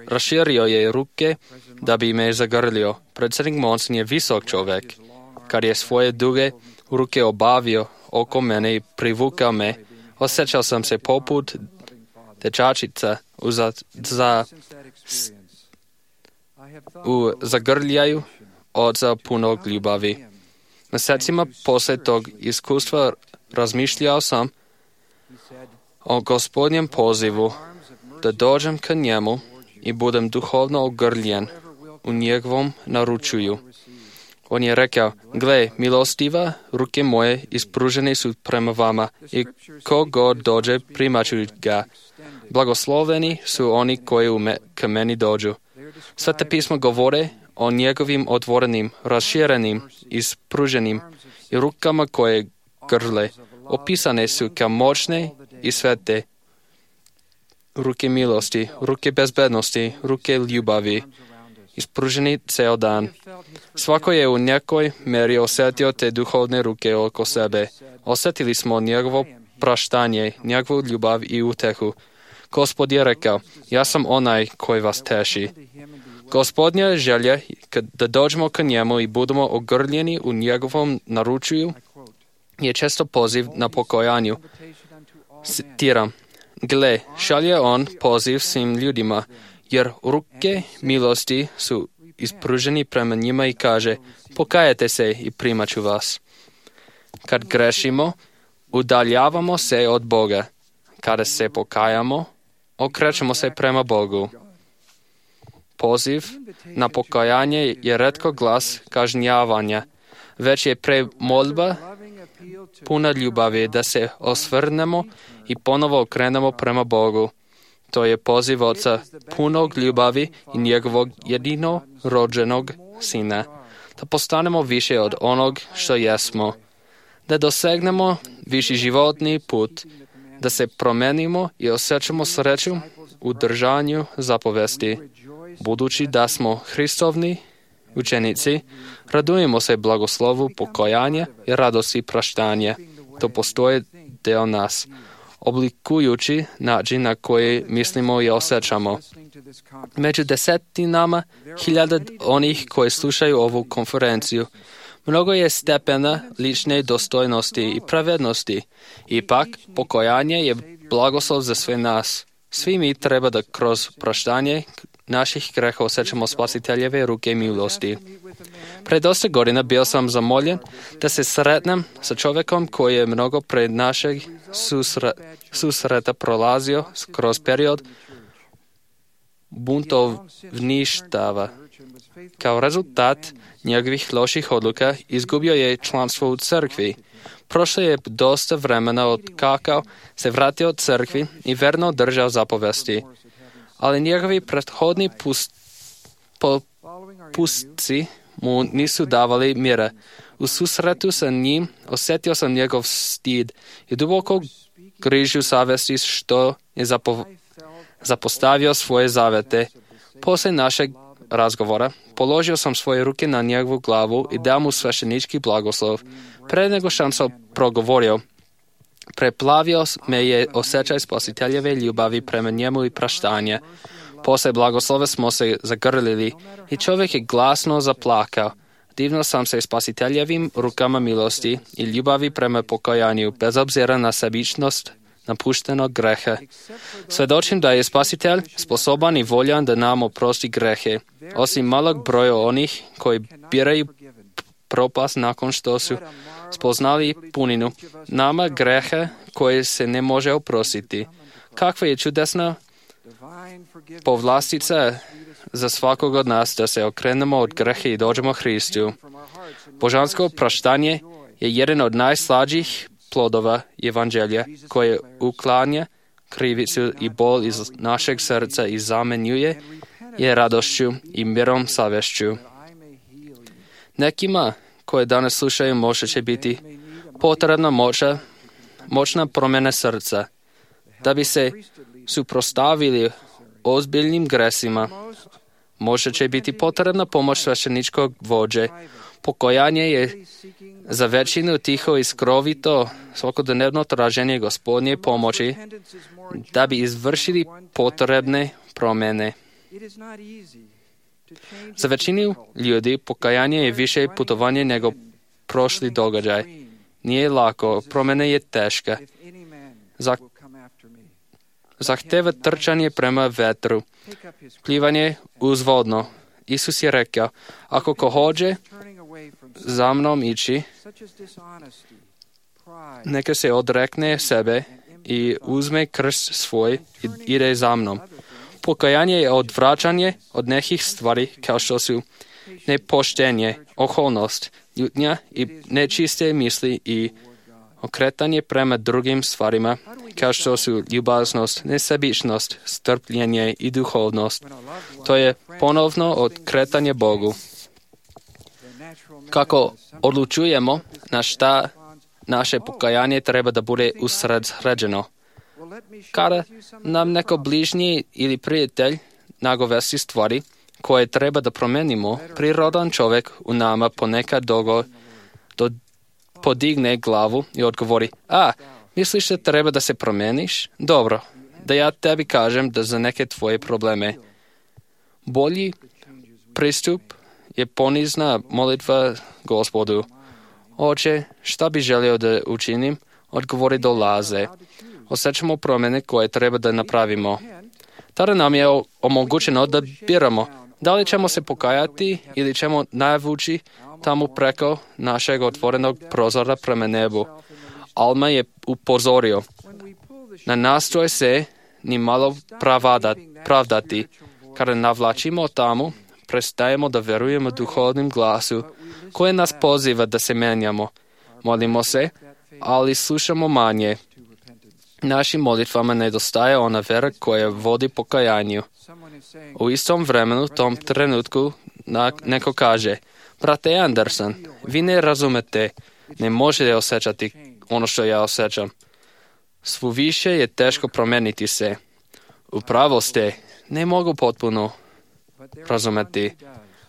raširio je ruke da bi me zagrlio. Predsjednik Monson je visok čovjek. Kad je svoje duge ruke obavio oko mene i privukao me, osjećao sam se poput dečačica u zagrljaju oca punog ljubavi. Mjesecima poslije tog iskustva razmišljao sam o Gospodnjem pozivu da dođem ka njemu i budem duhovno ogrljen u njegovom naručuju. On je rekao, gle, milostiva, ruke moje ispružene su prema vama i ko god dođe primat ću ga. Blagosloveni su oni koji ka meni dođu. Svete pismo govore o njegovim otvorenim, raširenim, ispruženim i rukama koje grle. Opisane su kao moćne i svete. Ruke milosti, ruke bezbednosti, ruke ljubavi, ispruženi ceo dan. Svako je u nekoj meri osjetio te duhovne ruke oko sebe. Osjetili smo njegovo praštanje, njegovu ljubav i utehu. Gospod je rekao, ja sam onaj koji vas teši. Gospodnja želja da dođemo ka njemu i budemo ogrljeni u njegovom naručuju je često poziv na pokajanju. Citiram, gle, šalje on poziv svim ljudima, jer ruke milosti su ispruženi prema njima i kaže, pokajete se i primat ću vas. Kad grešimo, udaljavamo se od Boga. Kada se pokajamo, okrećemo se prema Bogu. Poziv na pokajanje je retko glas kažnjavanja, već je molba puna ljubavi da se osvrnemo i ponovo okrenemo prema Bogu. To je poziv Oca punog ljubavi i njegovog jedinorođenog Sina, da postanemo više od onog što jesmo, da dosegnemo viši životni put, da se promenimo i osjećamo sreću u držanju zapovesti. Budući da smo Hristovni učenici, radujemo se blagoslovu pokajanja i radosti praštanja. To postoje deo nas, oblikujući način na koji mislimo i osjećamo. Među desetinama hiljada onih koji slušaju ovu konferenciju, mnogo je stepena lične dostojnosti i pravednosti. Ipak, pokajanje je blagoslov za sve nas. Svi mi treba da kroz praštanje naših greha osjećamo spasiteljeve ruke milosti. Pred dosta godina bio sam zamoljen da se sretnem sa čovjekom koji je mnogo pred našeg susreta prolazio kroz period buntovništava. Kao rezultat njegovih loših odluka izgubio je članstvo u crkvi. Prošlo je dosta vremena od kako se vratio od crkvi i verno držao zapovesti. Ali njegovi prethodni pustci mu nisu davali mira. U susretu sa njim osjetio sam njegov stid i duboko grižu savesti što je zapostavio svoje zavete. Poslije našeg razgovora položio sam svoje ruke na njegovu glavu i dao mu sveštenički blagoslov. Pre nego što sam progovorio, preplavio me je osjećaj spasiteljeve ljubavi prema njemu i praštanja. Poslije blagoslova smo se zagrlili i čovjek je glasno zaplakao. Divno sam se spasiteljevim rukama milosti i ljubavi prema pokajanju, bez obzira na sebičnost napuštenog greha. Svedočim da je spasitelj sposoban i voljan da nam oprosti grehe, osim malog broja onih koji biraju propast nakon što su spoznali puninu nama greha koje se ne može oprostiti. Kakva je čudesna povlastica za svakog od nas da se okrenemo od greha i dođemo Hristu. Božansko praštanje je jedan od najslađih plodova evanđelja koje uklanja krivicu i bol iz našeg srca i zamenjuje je radošću i mirom savješću. Nekima koje danas slušaju možda će biti potrebna moćna promjena srca. Da bi se suprotstavili ozbiljnim gresima, možda će biti potrebna pomoć svešteničkog vođe. Pokajanje je za većinu tiho i skrovito svakodnevno traženje Gospodnje pomoći da bi izvršili potrebne promjene. Za većinu ljudi pokajanje je više putovanje nego prošli događaj. Nije lako, promjena je teška. Zahteva trčanje prema vetru, plivanje uzvodno. Isus je rekao, ako ko hoće za mnom ići, neka se odrekne sebe i uzme krst svoj i ide za mnom. Pokajanje je odvraćanje od nekih stvari kao što su nepoštenje, oholnost, ljutnja i nečiste misli i okretanje prema drugim stvarima kao što su ljubaznost, nesebičnost, strpljenje i duhovnost. To je ponovno okretanje Bogu. Kako odlučujemo na šta naše pokajanje treba da bude usređeno? Kada nam neko bližnji ili prijatelj nagovesti stvari koje treba da promenimo, prirodan čovjek u nama ponekad podigne glavu i odgovori, misliš da treba da se promeniš? Dobro, da ja tebi kažem da za neke tvoje probleme. Bolji pristup je ponizna molitva Gospodu. Oče, šta bi želio da učinim? Odgovori dolaze. Osjećamo promjene koje treba da napravimo. Tada nam je omogućeno da biramo da li ćemo se pokajati ili ćemo navući tamo preko našeg otvorenog prozora prema nebu. Alma je upozorio. Ne nastoje se ni malo pravdati. Kada navlačimo tamo, prestajemo da verujemo duhovnim glasu koji nas poziva da se menjamo. Molimo se, ali slušamo manje. Našim molitvama nedostaje ona vera koja vodi pokajanju. U istom vremenu, tom trenutku, neko kaže, brate Anderson, vi ne razumete, ne možete osjećati ono što ja osjećam. Svo više je teško promeniti se. Upravo ste, ne mogu potpuno razumeti,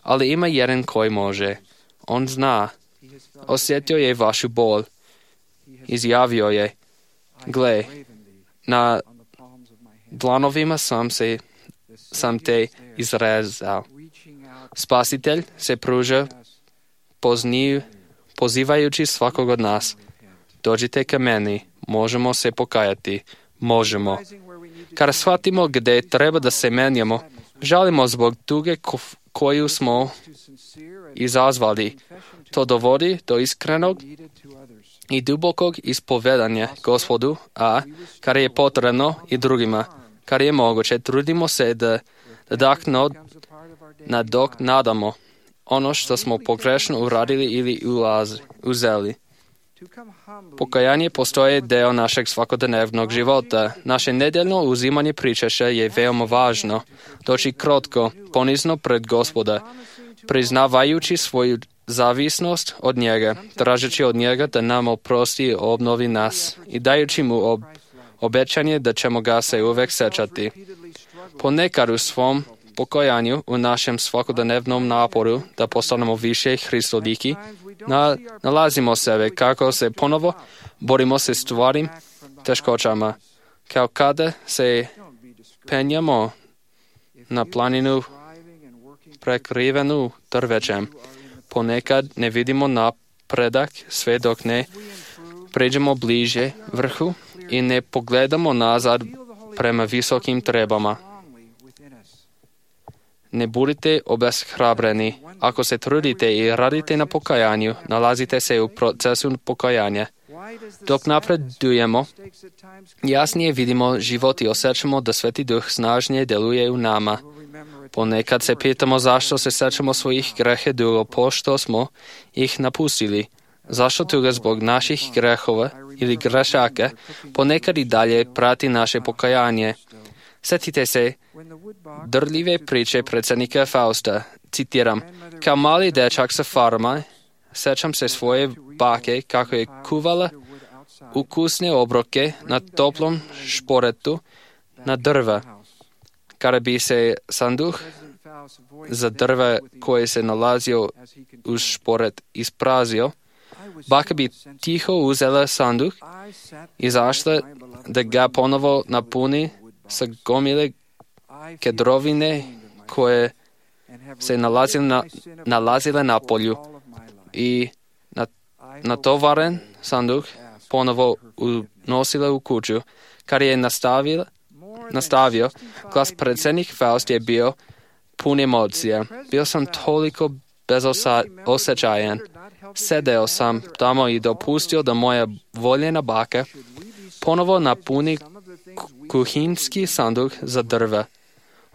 ali ima jedan koji može. On zna. Osjetio je vašu bol. Izjavio je, gle, na dlanovima sam te izrezao. Spasitelj se pruža pozivajući svakog od nas. Dođite ka meni, možemo se pokajati, možemo. Kada shvatimo gdje treba da se menjamo, žalimo zbog tuge koju smo izazvali. To dovodi do iskrenog i dubokog ispovedanja Gospodu, a kada je potrebno i drugima, kada je moguće, trudimo se da nadoknadamo ono što smo pogrešno uradili ili uzeli. Pokajanje postoje deo našeg svakodnevnog života. Naše nedeljno uzimanje pričaša je veoma važno. Doći krotko, ponizno pred Gospoda, priznavajući svoju zavisnost od njega, tražeći od njega da nam oprosti i obnovi nas i dajući mu obećanje da ćemo ga se uvek sećati. Ponekad u svom pokajanju, u našem svakodnevnom naporu da postanemo više Hristoliki, nalazimo sebe kako se ponovo borimo se stvarim teškoćama, kao kada se penjamo na planinu prekrivenu drvećem. Ponekad ne vidimo napredak sve dok ne pređemo bliže vrhu i ne pogledamo nazad prema visokim trebama. Ne budite obeshrabreni. Ako se trudite i radite na pokajanju, nalazite se u procesu pokajanja. Dok napredujemo, jasnije vidimo život i osjećamo da Sveti Duh snažnije deluje u nama. Ponekad se pitamo zašto se sećamo svojih grehe dugo pošto smo ih napustili. Zašto tuga zbog naših grehova ili grešaka ponekad i dalje prati naše pokajanje. Sjetite se drljive priče predsjednika Fausta. Citiram, kao mali dečak sa farma, Sećam se svoje bake kako je kuvala ukusne obroke na toplom šporetu na drva. Kada bi se sanduh za drva koji se nalazio uz šporet isprazio, baka bi tiho uzela sanduh, izašla da ga ponovo napuni sa gomile kedrovine koje se nalazile na polju i natovaren sanduh ponovo unosila u kuću. Kad je nastavio, glas predsjednik Faust je bio pun emocija. Bio sam toliko bezosjećajan. Sedeo sam tamo i dopustio da moja voljena baka ponovo napuni kuhinski sanduh za drva.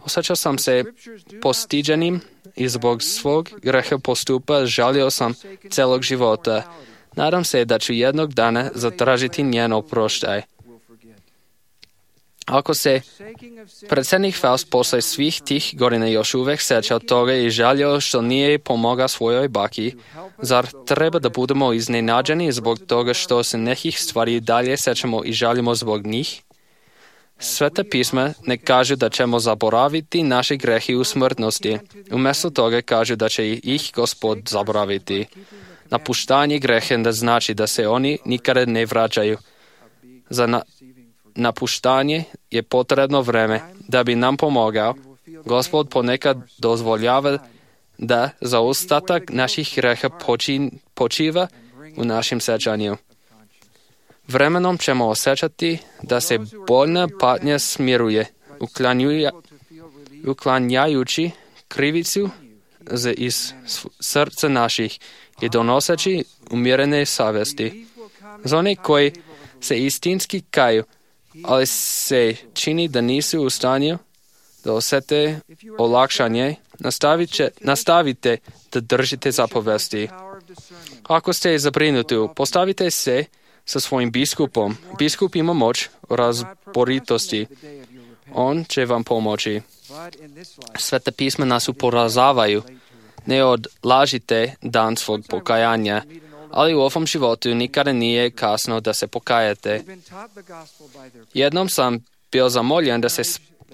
Osjećao sam se postiđenim i zbog svog greha postupa žalio sam celog života. Nadam se da ću jednog dana zatražiti njen oproštaj. Ako se predsjednik Faust posle svih tih godina još uvijek seća toga i žalio što nije pomogao svojoj baki, zar treba da budemo iznenađeni zbog toga što se nekih stvari dalje sećamo i žalimo zbog njih? Sveta pisma ne kažu da ćemo zaboraviti naše grehe u smrtnosti. Umjesto toga kažu da će ih Gospod zaboraviti. Napuštanje grehe ne znači da se oni nikada ne vraćaju. Za napuštanje je potrebno vreme. Da bi nam pomogao, Gospod ponekad dozvoljava da zaostatak naših greha počiva u našem sećanju. Vremenom ćemo osjećati da se bolna patnja smiruje, uklanjajući krivicu iz srca naših i donoseći umirene savesti. Za one koji se istinski kaju, ali se čini da nisu u stanju da osjete olakšanje, nastavite da držite zapovesti. Ako ste zabrinuti, postavite se sa svojim biskupom. Biskup ima moć razboritosti. On će vam pomoći. Sveta pisma nas upozoravaju. Ne odlažite dan svog pokajanja, ali u ovom životu nikada nije kasno da se pokajete. Jednom sam bio zamoljen da se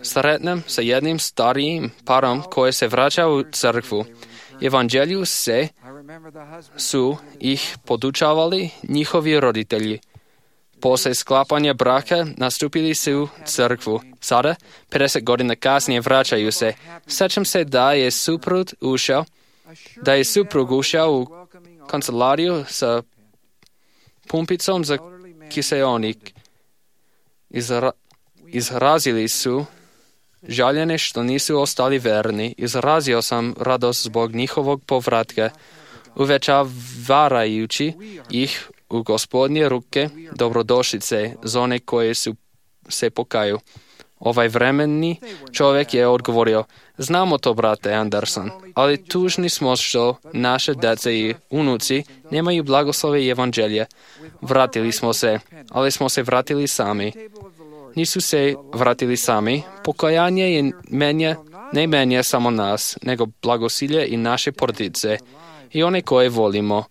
sretnem sa jednim starijim parom koji se vraća u crkvu. Evanđelju su ih podučavali njihovi roditelji. Posle sklapanja braka nastupili su u crkvu. Sada, 50 godina kasnije, vraćaju se. Sećam se da je suprug ušao u kancelariju sa pumpicom za kiseonik. Izrazili su žaljenje što nisu ostali verni. Izrazio sam radost zbog njihovog povratka, uvećavarajući ih u Gospodnje ruke dobrodošlice za one koje se pokaju. Ovaj vremeni čovjek je odgovorio, znamo to, brate Anderson, ali tužni smo što naše dece i unuci nemaju blagoslove evanđelja. Vratili smo se, ali smo se vratili sami. Nisu se vratili sami. Pokajanje je ne menja samo nas, nego blagosilje i naše porodice i one koje volimo.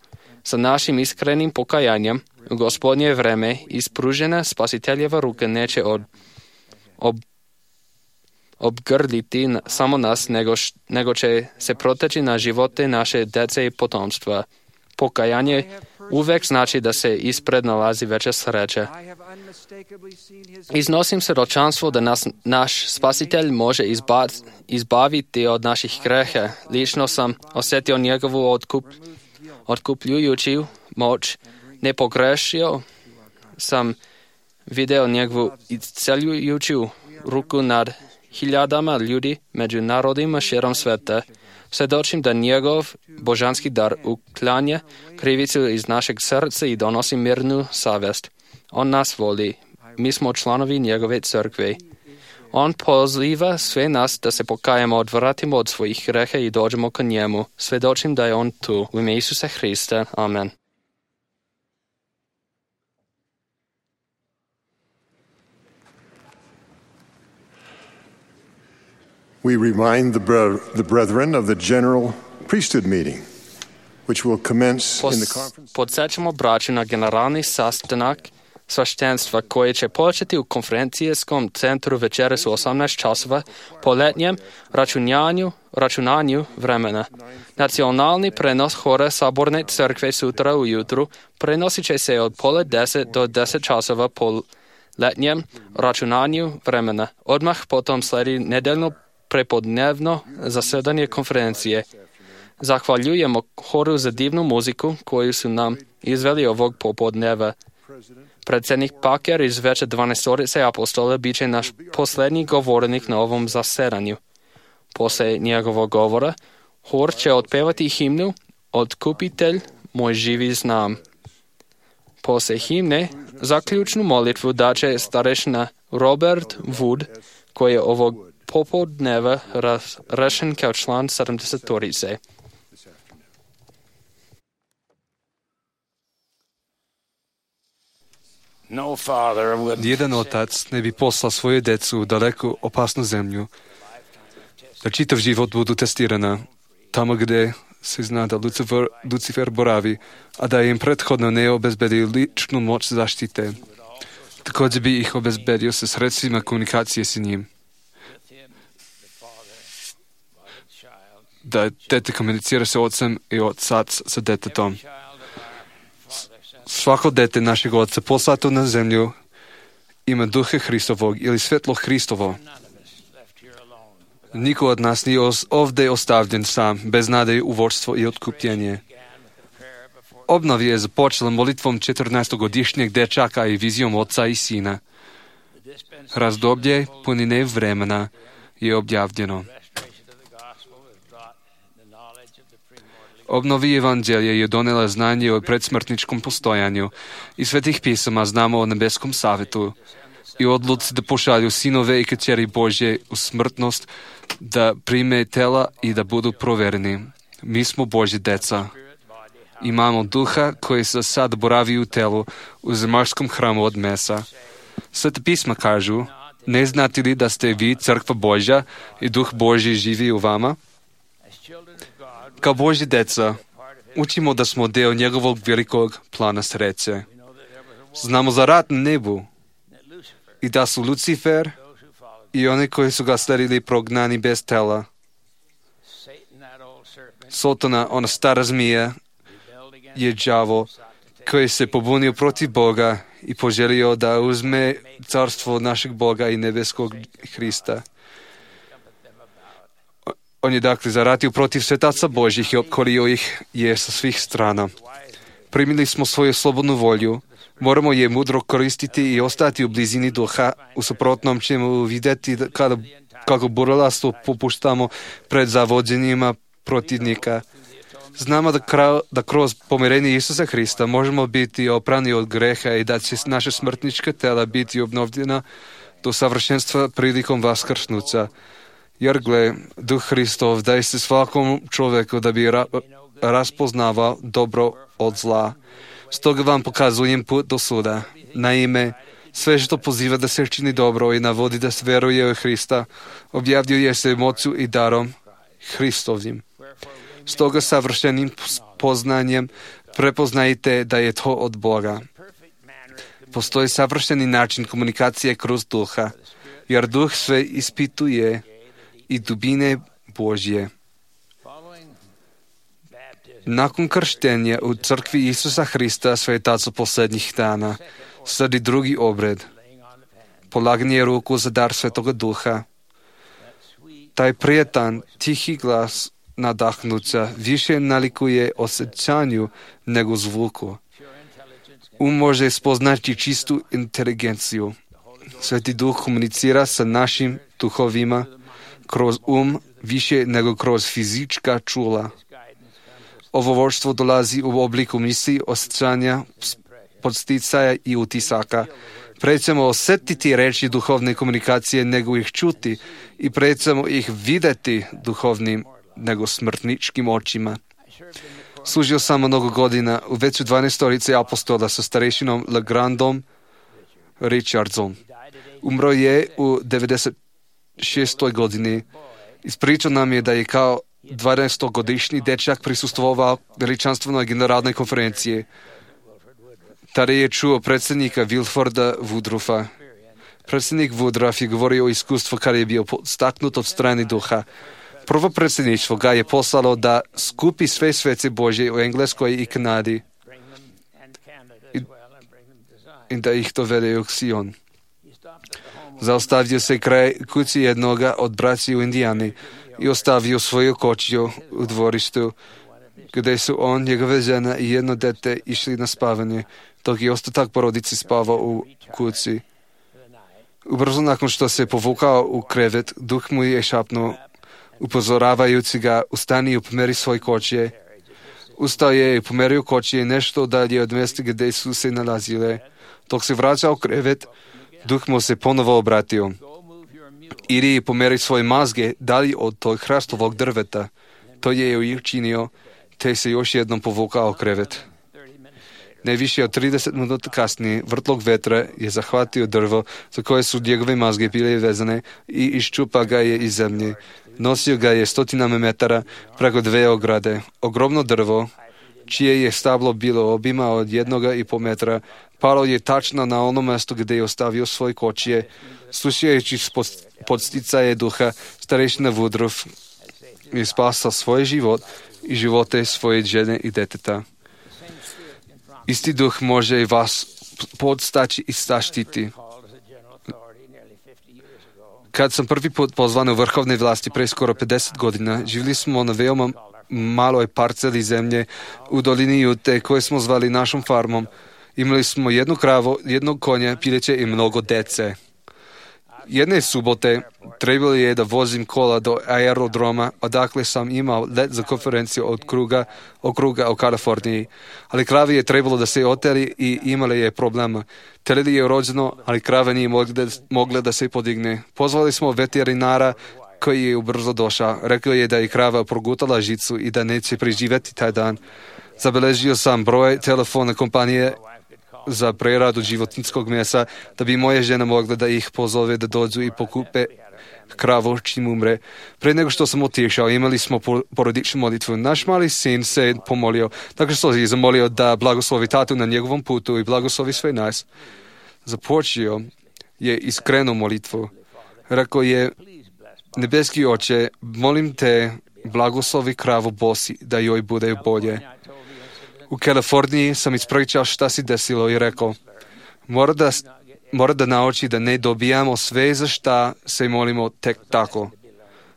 Sa našim iskrenim pokajanjem u Gospodnje vreme ispružena spasiteljeva ruka neće obgrliti samo nas, nego će se proteći na živote naše dece i potomstva. Pokajanje uvek znači da se ispred nalazi veća sreća. Iznosim svjedočanstvo da naš spasitelj može izbaviti od naših greha. Lično sam osjetio njegovu otkupljujuću moć. Ne pogrešio sam video njegovu isceljujuću ruku nad hiljadama ljudi među narodima širom sveta. Svjedočim da njegov božanski dar uklanja krivicu iz našeg srca i donosi mirnu savjest. On nas voli. Mi smo članovi njegove crkve. On poziva sve nas da se pokajemo, odvratimo od svojih greha i dođemo k njemu. Svjedočim da je on tu. U ime Isusa Hrista. Amen. We remind the brethren of the general priesthood meeting. which will commence in the conference. Podsjećamo braću na generalni sastanak sveštenstva koje će početi u konferencijskom centru večeras u 18 časova po letnjem računanju vremena. Nacionalni prenos hora Saborne crkve sutra ujutru prenosit će se od 9:30 do 10 časova po letnjem računanju vremena. Odmah potom sledi nedeljno prepodnevno zasedanje konferencije. Zahvaljujemo horu za divnu muziku koju su nam izveli ovog popodneva. Predsjednik Paker iz Veća 12 apostola bit će naš posljednji govornik na ovom zasedanju. Poslije njegovog govora, hor će otpevati himnu Otkupitelj moj živi znam. Poslije himne, zaključnu molitvu daće starešina Robert Wood, koji je ovog popodneva rešen kao član 70-torice. Nijedan otac ne bi poslao svoju decu u daleku opasnu zemlju, da čitav život budu testirana, tamo gdje se zna da Lucifer boravi, a da im prethodno ne obezbedi ličnu moć zaštite. Također bi ih obezbedio sa sredstvima komunikacije s njim. Da dete komunicira sa ocem i otac sa detetom. Svako dete našeg oca poslato na zemlju ima duha Hristovog ili svetlo Hristovo. Niko od nas nije ovdje ostavljen sam, bez nade u vodstvo i otkupljenje. Obnov je započela molitvom 14-godišnjeg dečaka i vizijom oca i sina. Razdoblje punine vremena je objavljeno. Obnovi evanđelje je donela znanje o predsmrtničkom postojanju i svetih pisama znamo o nebeskom savjetu i odluci da pošalju sinove i kćeri Božje u smrtnost, da prime tela i da budu provereni. Mi smo Božje deca. Imamo duha koji se sad boravi u telu u zemaljskom hramu od mesa. Sveta pisma kažu, ne znate li da ste vi crkva Božja i duh Božji živi u vama? Kao Božji deca, učimo da smo deo njegovog velikog plana sreće. Znamo za rat na nebu i da su Lucifer i oni koji su ga sledili prognani bez tela. Sotona, ona stara zmija, je đavo koji se pobunio protiv Boga i poželio da uzme carstvo našeg Boga i nebeskog Hrista. On je dakle zaratio protiv svetaca Božjih i opkorio ih je sa svih strana. Primili smo svoju slobodnu volju, moramo je mudro koristiti i ostati u blizini duha, u suprotnom ćemo vidjeti kako burlastvo popuštamo pred zavođenjima protivnika. Znamo da kroz pomirenje Isusa Hrista možemo biti oprani od greha i da će naše smrtnička tela biti obnovljena do savršenstva prilikom vaskrsnuća. Jer gle, Duh Hristov daje se svakom čovjeku da bi raspoznavao dobro od zla. Stoga vam pokazujem put do suda. Naime, sve što poziva da se čini dobro i navodi da se veruje u Hrista, objavljuje se moću i darom Hristovim. Stoga savršenim poznanjem prepoznajte da je to od Boga. Postoji savršeni način komunikacije kroz duha, jer duh sve ispituje i dubine Božje. Nakon krštenja u crkvi Isusa Hrista svetaca posljednjih dana sledi drugi obred, polaganje ruku za dar Svetoga Duha. Taj prijetan, tihi glas nadahnuća više nalikuje osjećanju nego zvuku. Može spoznati čistu inteligenciju. Sveti Duh komunicira sa našim duhovima kroz više nego kroz fizička čula. Ovo vodstvo dolazi u obliku misli, osjećanja, podsticaja i utisaka. Prećemo osjetiti reči duhovne komunikacije nego ih čuti i prećemo ih vidjeti duhovnim nego smrtničkim očima. Služio sam mnogo godina u Veću 12 apostola sa starešinom Legrandom Richardsom. Umro je u 96. godini. Ispričao nam je da je kao 12-годишни дечак присуствувал величанственoj генералной конференции. Tada je čuo predsjednika Wilforda Woodruffa. Predsjednik Woodruff je govorio o iskustvu kada je bio podstaknut od strane duha. Prvo predsjedništvo ga je poslalo da skupi sve svece Božje u Engleskoj i Kanadi i da ih dovede u Sion. Zaustavio se kraj kući jednoga od braći u Indijani i ostavio svoju kočiju u dvorištu, gdje su on, njegova žena i jedno dete išli na spavanje, dok je ostatak porodice spavao u kući. Ubrzo nakon što se povukao u krevet, duh mu je šapnuo, upozoravajući ga, ustani i pomeri svoj kočije. Ustao je i pomerio kočije nešto dalje od mjesta gdje su se nalazile. Dok se vraćao u krevet, duh mu se ponovo obratio. Idi i pomeri svoje mazge dalje od tog hrastovog drveta. To je učinio, te se još jednom povukao u krevet. Najviše od 30 minuta kasnije vrtlog vetra je zahvatio drvo za koje su njegove mazge bile vezane i iščupa ga je iz zemlje. Nosio ga je stotinama metara preko 2 ograde. Ogromno drvo, čije je stablo bilo obima od 1,5 metra, palo je tačno na ono mjesto gdje je ostavio svoj kočije. Slušajući podsticaje duha, starešina Woodruff je spasao svoj život i živote svoje žene i deteta. Isti duh može i vas podstaći i zaštiti. Kad sam prvi put pozvan u vrhovne vlasti pre skoro 50 godina, živjeli smo na veoma maloj parceli zemlje u dolini Jute koje smo zvali našom farmom. Imali smo 1 kravu, 1 konja, pileće i mnogo dece. Jedne subote trebalo je da vozim kola do aerodroma, odakle sam imao let za konferenciju od okruga u Kaliforniji. Ali kravi je trebalo da se oteli i imali je problema. Teledi je rođeno, ali krava nije mogla da se podigne. Pozvali smo veterinara koji je ubrzo došao. Rekao je da je krava progutala žicu i da neće preživjeti taj dan. Zabeležio sam broj telefona kompanije za preradu životinjskog mesa, da bi moja žena mogla da ih pozove da dođu i pokupe kravu čim umre. Pre nego što sam otišao, imali smo porodičnu molitvu. Naš mali sin se pomolio, tako što je zamolio da blagoslovi tatu na njegovom putu i blagoslovi sve nas. Započeo je iskrenu molitvu. Rekao je, nebeski oče, molim te, blagoslovi kravu Bosi, da joj bude bolje. U Kaliforniji sam ispričao šta se desilo i rekao, mora da nauči da ne dobijamo sve za šta se molimo tek tako.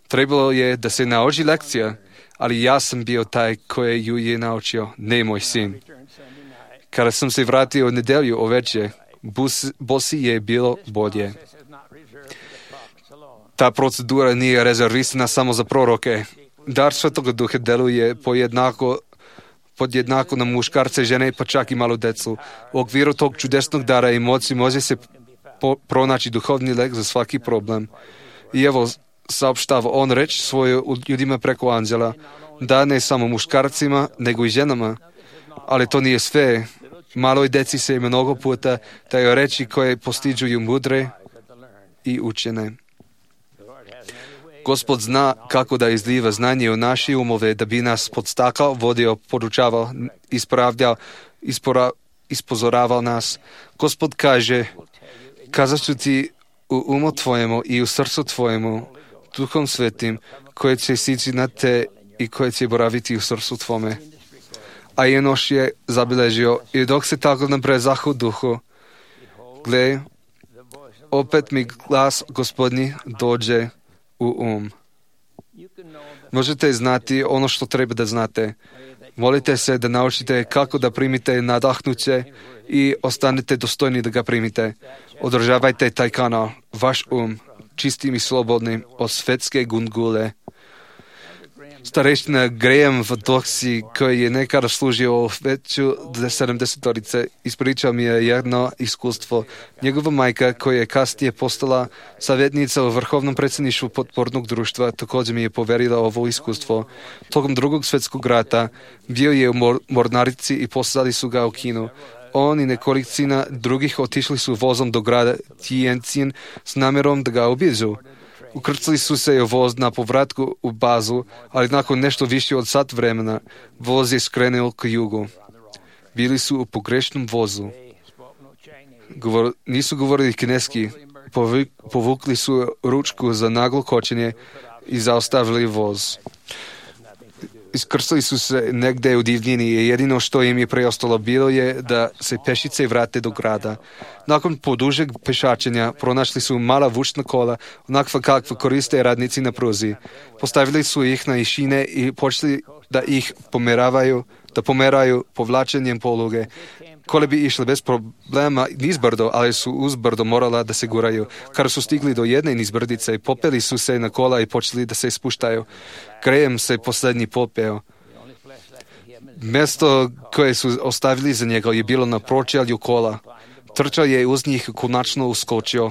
Trebalo je da se nauči lekcija, ali ja sam bio taj koji ju je naučio, ne moj sin. Kada sam se vratio u nedelju oveče, Bosi je bilo bolje. Ta procedura nije rezervisana samo za proroke. Dar Svetoga Duha deluje podjednako na muškarce, žene, pa čak i malu decu. U okviru tog čudesnog dara i moći može se pronaći duhovni lek za svaki problem. I evo, saopštava on reč svoje ljudima preko anđela, da ne samo muškarcima, nego i ženama. Ali to nije sve. Maloj deci se mnogo puta daju reči koje postiđuju mudre i učene. Gospod zna kako da izliva znanje u naše umove, da bi nas podstakao, vodio, podučavao, ispravljao, ispozoravao nas. Gospod kaže, kazat ću ti u umu tvojemu i u srcu tvojemu, Duhom Svetim, koje će sići na te i koje će boraviti u srcu tvome. A Enoš je zabilježio, i dok se tako nabrezah u duhu, gle, opet mi glas Gospodnji dođe u Možete znati ono što treba da znate. Molite se da naučite kako da primite nadahnuće i ostanete dostojni da ga primite. Održavajte taj kanal, vaš čistim i slobodnim od svetske gungule. Stareština Graham v Doksi, koji je nekada služio u veću 70-torice, ispričao mi je jedno iskustvo. Njegova majka, koja je kasnije postala savjetnica u vrhovnom predsjedništvu potpornog društva, također mi je poverila ovo iskustvo. Tokom Drugog svjetskog rata bio je u mornarici i poslali su ga u Kinu. On i nekolicina drugih otišli su vozom do grada Tientsin s namjerom da ga obiđu. Ukrcali su se u voz na povratku u bazu, ali nakon nešto više od sat vremena voz je skrenuo k jugu. Bili su u pogrešnom vozu. Nisu govorili kineski, povukli su ručku za naglo kočenje i zaustavili voz. Iskrcali su se negde u divljini i jedino što im je preostalo bilo je da se pešice vrate do grada. Nakon podužeg pešačenja pronašli su mala vučna kola, onakva kakva koriste radnici na pruzi. Postavili su ih na išine i počeli da ih pomeraju povlačenjem poluge. Kole bi išle bez problema nizbrdo, ali su uzbrdo morala da se guraju. Kada su stigli do jedne nizbrdice, popeli su se na kola i počeli da se spuštaju. Graham se posljednji popeo. Mjesto koje su ostavili za njega je bilo na pročelju kola. Trčao je uz njih, konačno uskočio.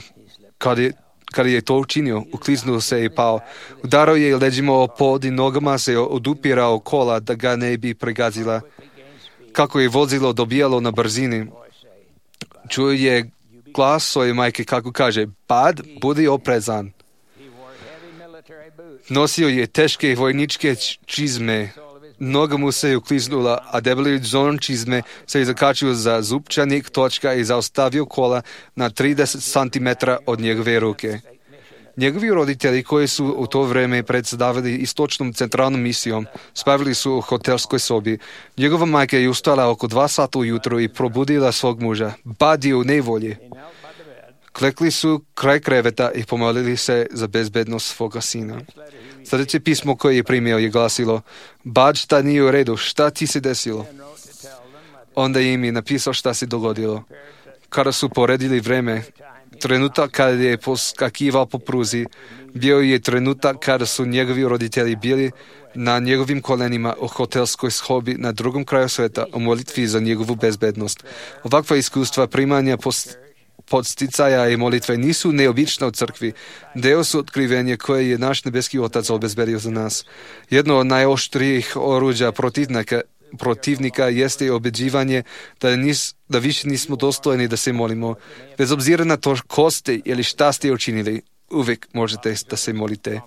Kada je to učinio, ukliznuo se i pao. Udarao je leđima o pod i nogama se odupirao kola da ga ne bi pregazila. Kako je vozilo dobijalo na brzini, čuo je glas svoje majke kako kaže: Bud, budi oprezan. Nosio je teške vojničke čizme. Noga mu se ukliznula, a debeli dzon čizme se je zakačio za zupčanik točka i zaustavio kola na 30 cm od njegove ruke. Njegovi roditelji, koji su u to vreme predstavili istočnom centralnom misijom, spavili su u hotelskoj sobi. Njegova majka je ustala oko 2 sata ujutro i probudila svog muža. Bud je u nevolji. Klekli su kraj kreveta i pomolili se za bezbednost svoga sina. Sljedeće pismo koje je primio je glasilo: Bud, šta nije u redu, šta ti se desilo? Onda im je napisao šta se dogodilo. Kada su poredili vreme, trenutak kada je poskakivao po pruzi, bio je trenutak kada su njegovi roditelji bili na njegovim kolenima u hotelskoj sobi na drugom kraju sveta u molitvi za njegovu bezbednost. Ovakva iskustva primanja podsticaja i molitve nisu neobična u crkvi. Deo su otkrivenje koje je naš nebeski Otac obezbedio za nas. Jedno od najoštrijih oruđa protivnika jeste obeđivanje da više nismo dostojni da se molimo. Bez obzira na to ko ste ili šta ste učinili, uvijek možete da se molite.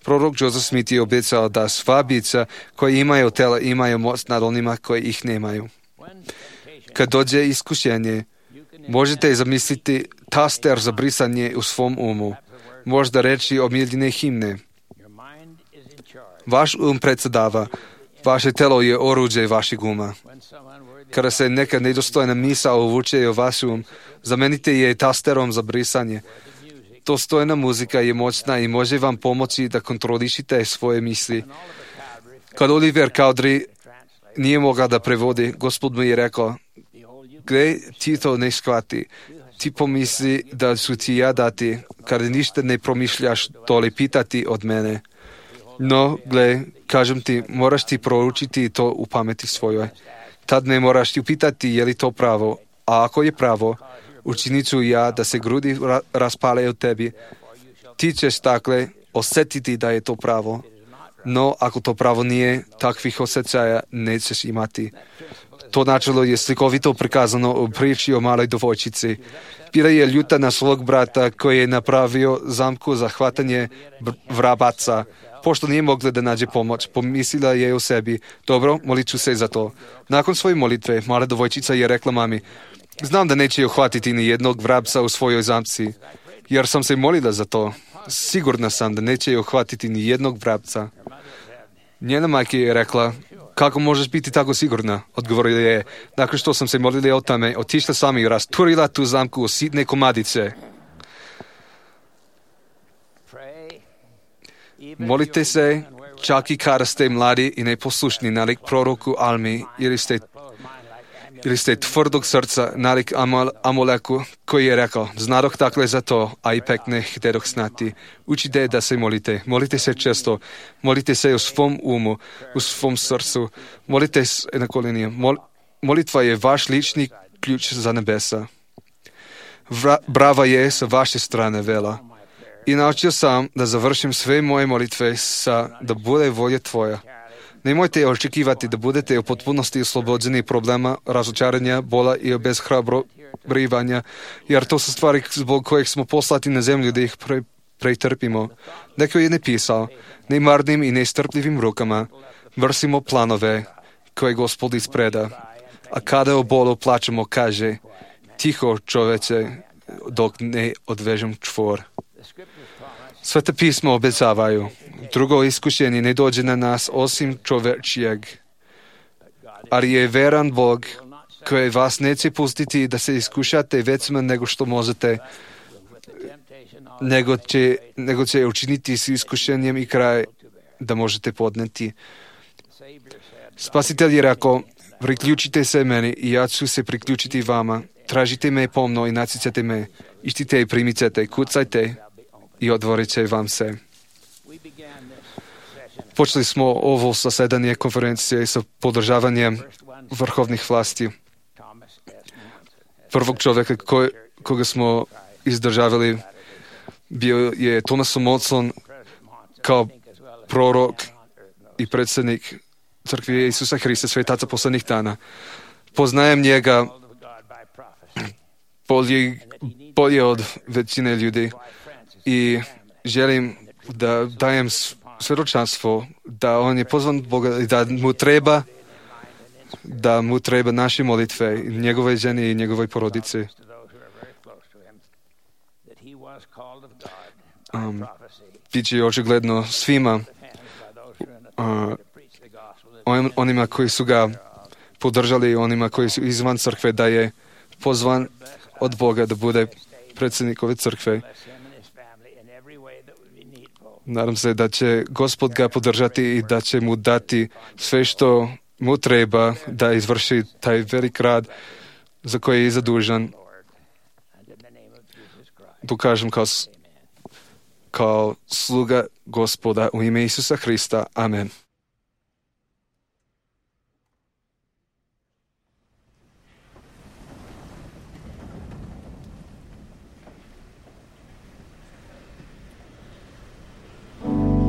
Prorok Joseph Smith je obećao da sva bića koji imaju tela imaju moć nad onima koji ih nemaju. Kad dođe iskušenje, možete zamisliti taster za brisanje u svom umu. Možda reći omiljene himne. Vaš predsjedava. Vaše telo je oruđe vašeg uma. Kada se neka nedostojna misao uvuče u vaš zamenite je tasterom za brisanje. Dostojna muzika je moćna i može vam pomoći da kontrolišite svoje misli. Kad Oliver Cowdery nije mogao da prevodi, Gospod mu je rekao: Gle, ti to ne shvati. Ti pomisli da su ti ja dati, kada ništa ne promišljaš dole pitati od mene. No, gle, kažem ti, moraš ti proučiti to u pameti svojoj. Tad ne moraš ti upitati je li to pravo, a ako je pravo, učinit ću ja da se grudi raspale u tebi. Ti ćeš dakle osjetiti da je to pravo. No, ako to pravo nije, takvih osjećaja nećeš imati. To načelo je slikovito prikazano u priči o maloj dovojčici. Bila je ljuta na svog brata koji je napravio zamku za hvatanje vrabaca. Pošto nije mogla da nađe pomoć, pomislila je u sebi: dobro, molit ću se za to. Nakon svoje molitve, mala dovojčica je rekla mami: znam da neće uhvatiti ni jednog vrabca u svojoj zamci, jer sam se molila za to. Sigurna sam da neće uhvatiti ni jednog vrabca. Njena majka je rekla: kako možeš biti tako sigurna? Odgovorila je: nakon što sam se molila o tome, otišla sam i rasturila tu zamku u sitne komadice. Molite se čak i kada ste mladi i neposlušni nalik proroku Almi ili ste tvrdog srca nalik Amoleku koji je rekao: znadoh dakle za to, a ipak ne htedoh znati. Učite da se molite. Molite se često. Molite se u svom umu, u svom srcu. Molite se na kolenima. Molitva je vaš lični ključ za nebesa. Brava je sa vaše strane vela. I naučio sam da završim sve moje molitve da bude volja tvoja. Nemojte očekivati da budete u potpunosti oslobođeni problema, razočaranja, bola i obezhrabrivanja, jer to su stvari zbog kojih smo poslati na zemlju da ih pretrpimo. Neko je napisal, nemarnim i nestrpljivim rukama vršimo planove koje Gospod ispreda. A kada o bolu plačemo, kaže, tiho čoveče, dok ne odvežem čvor. Sveta pisma obećavaju, drugo iskušenje ne dođe na nas osim čovečijeg. Ali je veran Bog koji vas neće pustiti da se iskušate većima nego što možete, nego će učiniti s iskušenjem i kraj da možete podneti. Spasitelj je rekao, priključite se meni i ja ću se priključiti vama. Tražite me pomno i naćićete me. Ištite i primicete, kucajte i otvorit će vam se. Počeli smo ovo zasedanje konferencije sa podržavanjem vrhovnih vlasti. Prvog čovjeka koga smo izdržavali bio je Thomas Monson kao prorok i predsjednik Crkve Isusa Hrista svetaca poslednjih dana. Poznajem njega bolje od većine ljudi i želim da dajem svjedočanstvo da on je pozvan Boga i da mu treba naše molitve, njegove žene i njegove porodice. Biće očigledno svima onima koji su ga podržali, onima koji su izvan crkve, da je pozvan od Boga da bude predsjednik ove crkve. Nadam se da će Gospod ga podržati i da će mu dati sve što mu treba da izvrši taj velik rad za koji je zadužen. Tu kažem kao sluga Gospoda u ime Isusa Hrista. Amen. Lord.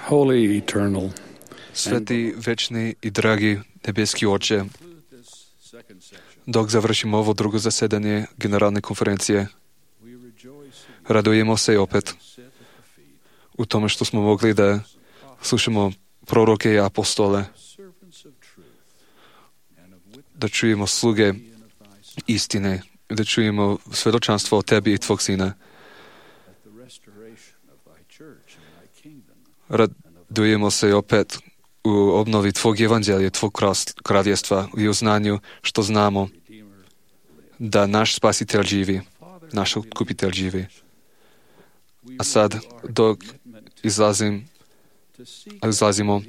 Holy, eternal, Sveti, večni i dragi nebeski Oče, dok završimo ovo drugo zasedanje Generalne konferencije, radujemo se opet u tome što smo mogli da slušamo proroke i apostole, da čujemo sluge istine, da čujemo svedočanstvo o tebi i tvog sina. Radujemo se opet u obnovi tvog evanđelja, tvog kraljevstva i u znanju što znamo da naš spasitelj živi, naš otkupitelj živi. A sad, dok izlazimo,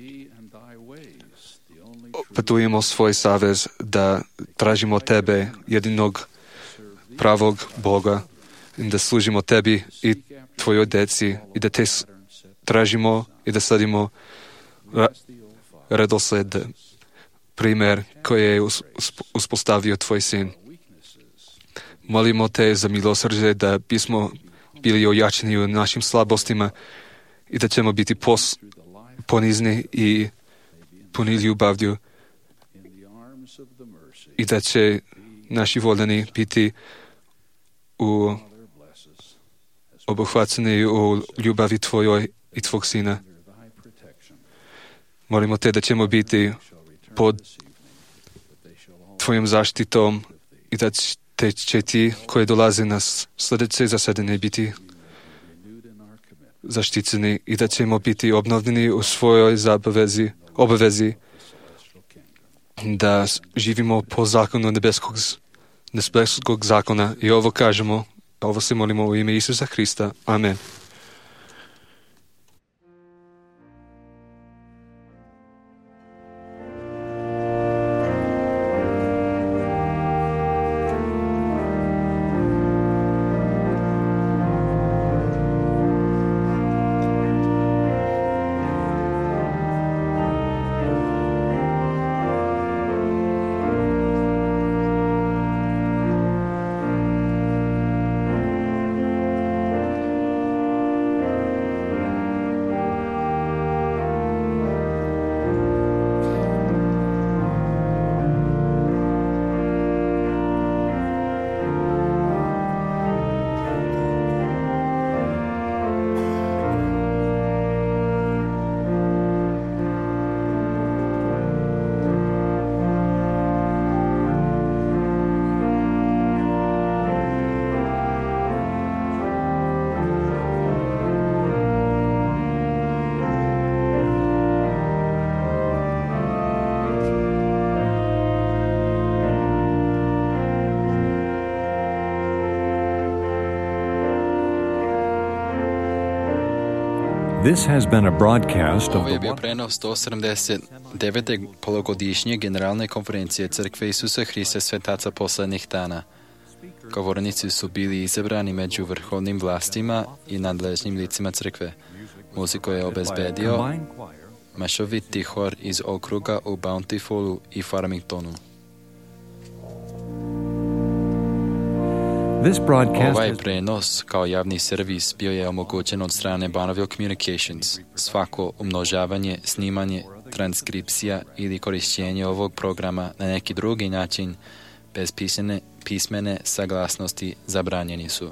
petujemo svoj savez da tražimo tebe, jedinog pravog Boga, i da služimo tebi i tvojoj deci i da te tražimo i da sledimo redosled, primjer koji je uspostavio tvoj sin. Molimo te za milosrđe da bismo bili ojačeni u našim slabostima i da ćemo biti ponizni i puni ljubavlju i da će naši voljeni biti obuhvaćeni u ljubavi tvojoj i tvog sina. Molimo te da ćemo biti pod tvojom zaštitom i da će ti koji dolaze na sljedeće zasedanje biti zaštićeni i da ćemo biti obnovljeni u svojoj obavezi da živimo po zakonu nebeskog zakona. I ovo kažemo, ovo se molimo u ime Isusa Hrista. Amen. This has been a broadcast of Ovo je bio prenos 179. polugodišnje Generalne konferencije Crkve Isusa Hrista Svetaca poslednjih dana. Govornici su bili izabrani među vrhovnim vlastima i nadležnim licima crkve. Muziku je obezbedio mešoviti hor iz okruga u Bountifulu i Farmingtonu. Ovaj prenos kao javni servis bio je omogućen od strane Bonneville Communications. Svako umnožavanje, snimanje, transkripcija ili korišćenje ovog programa na neki drugi način bez pismene saglasnosti zabranjeni su.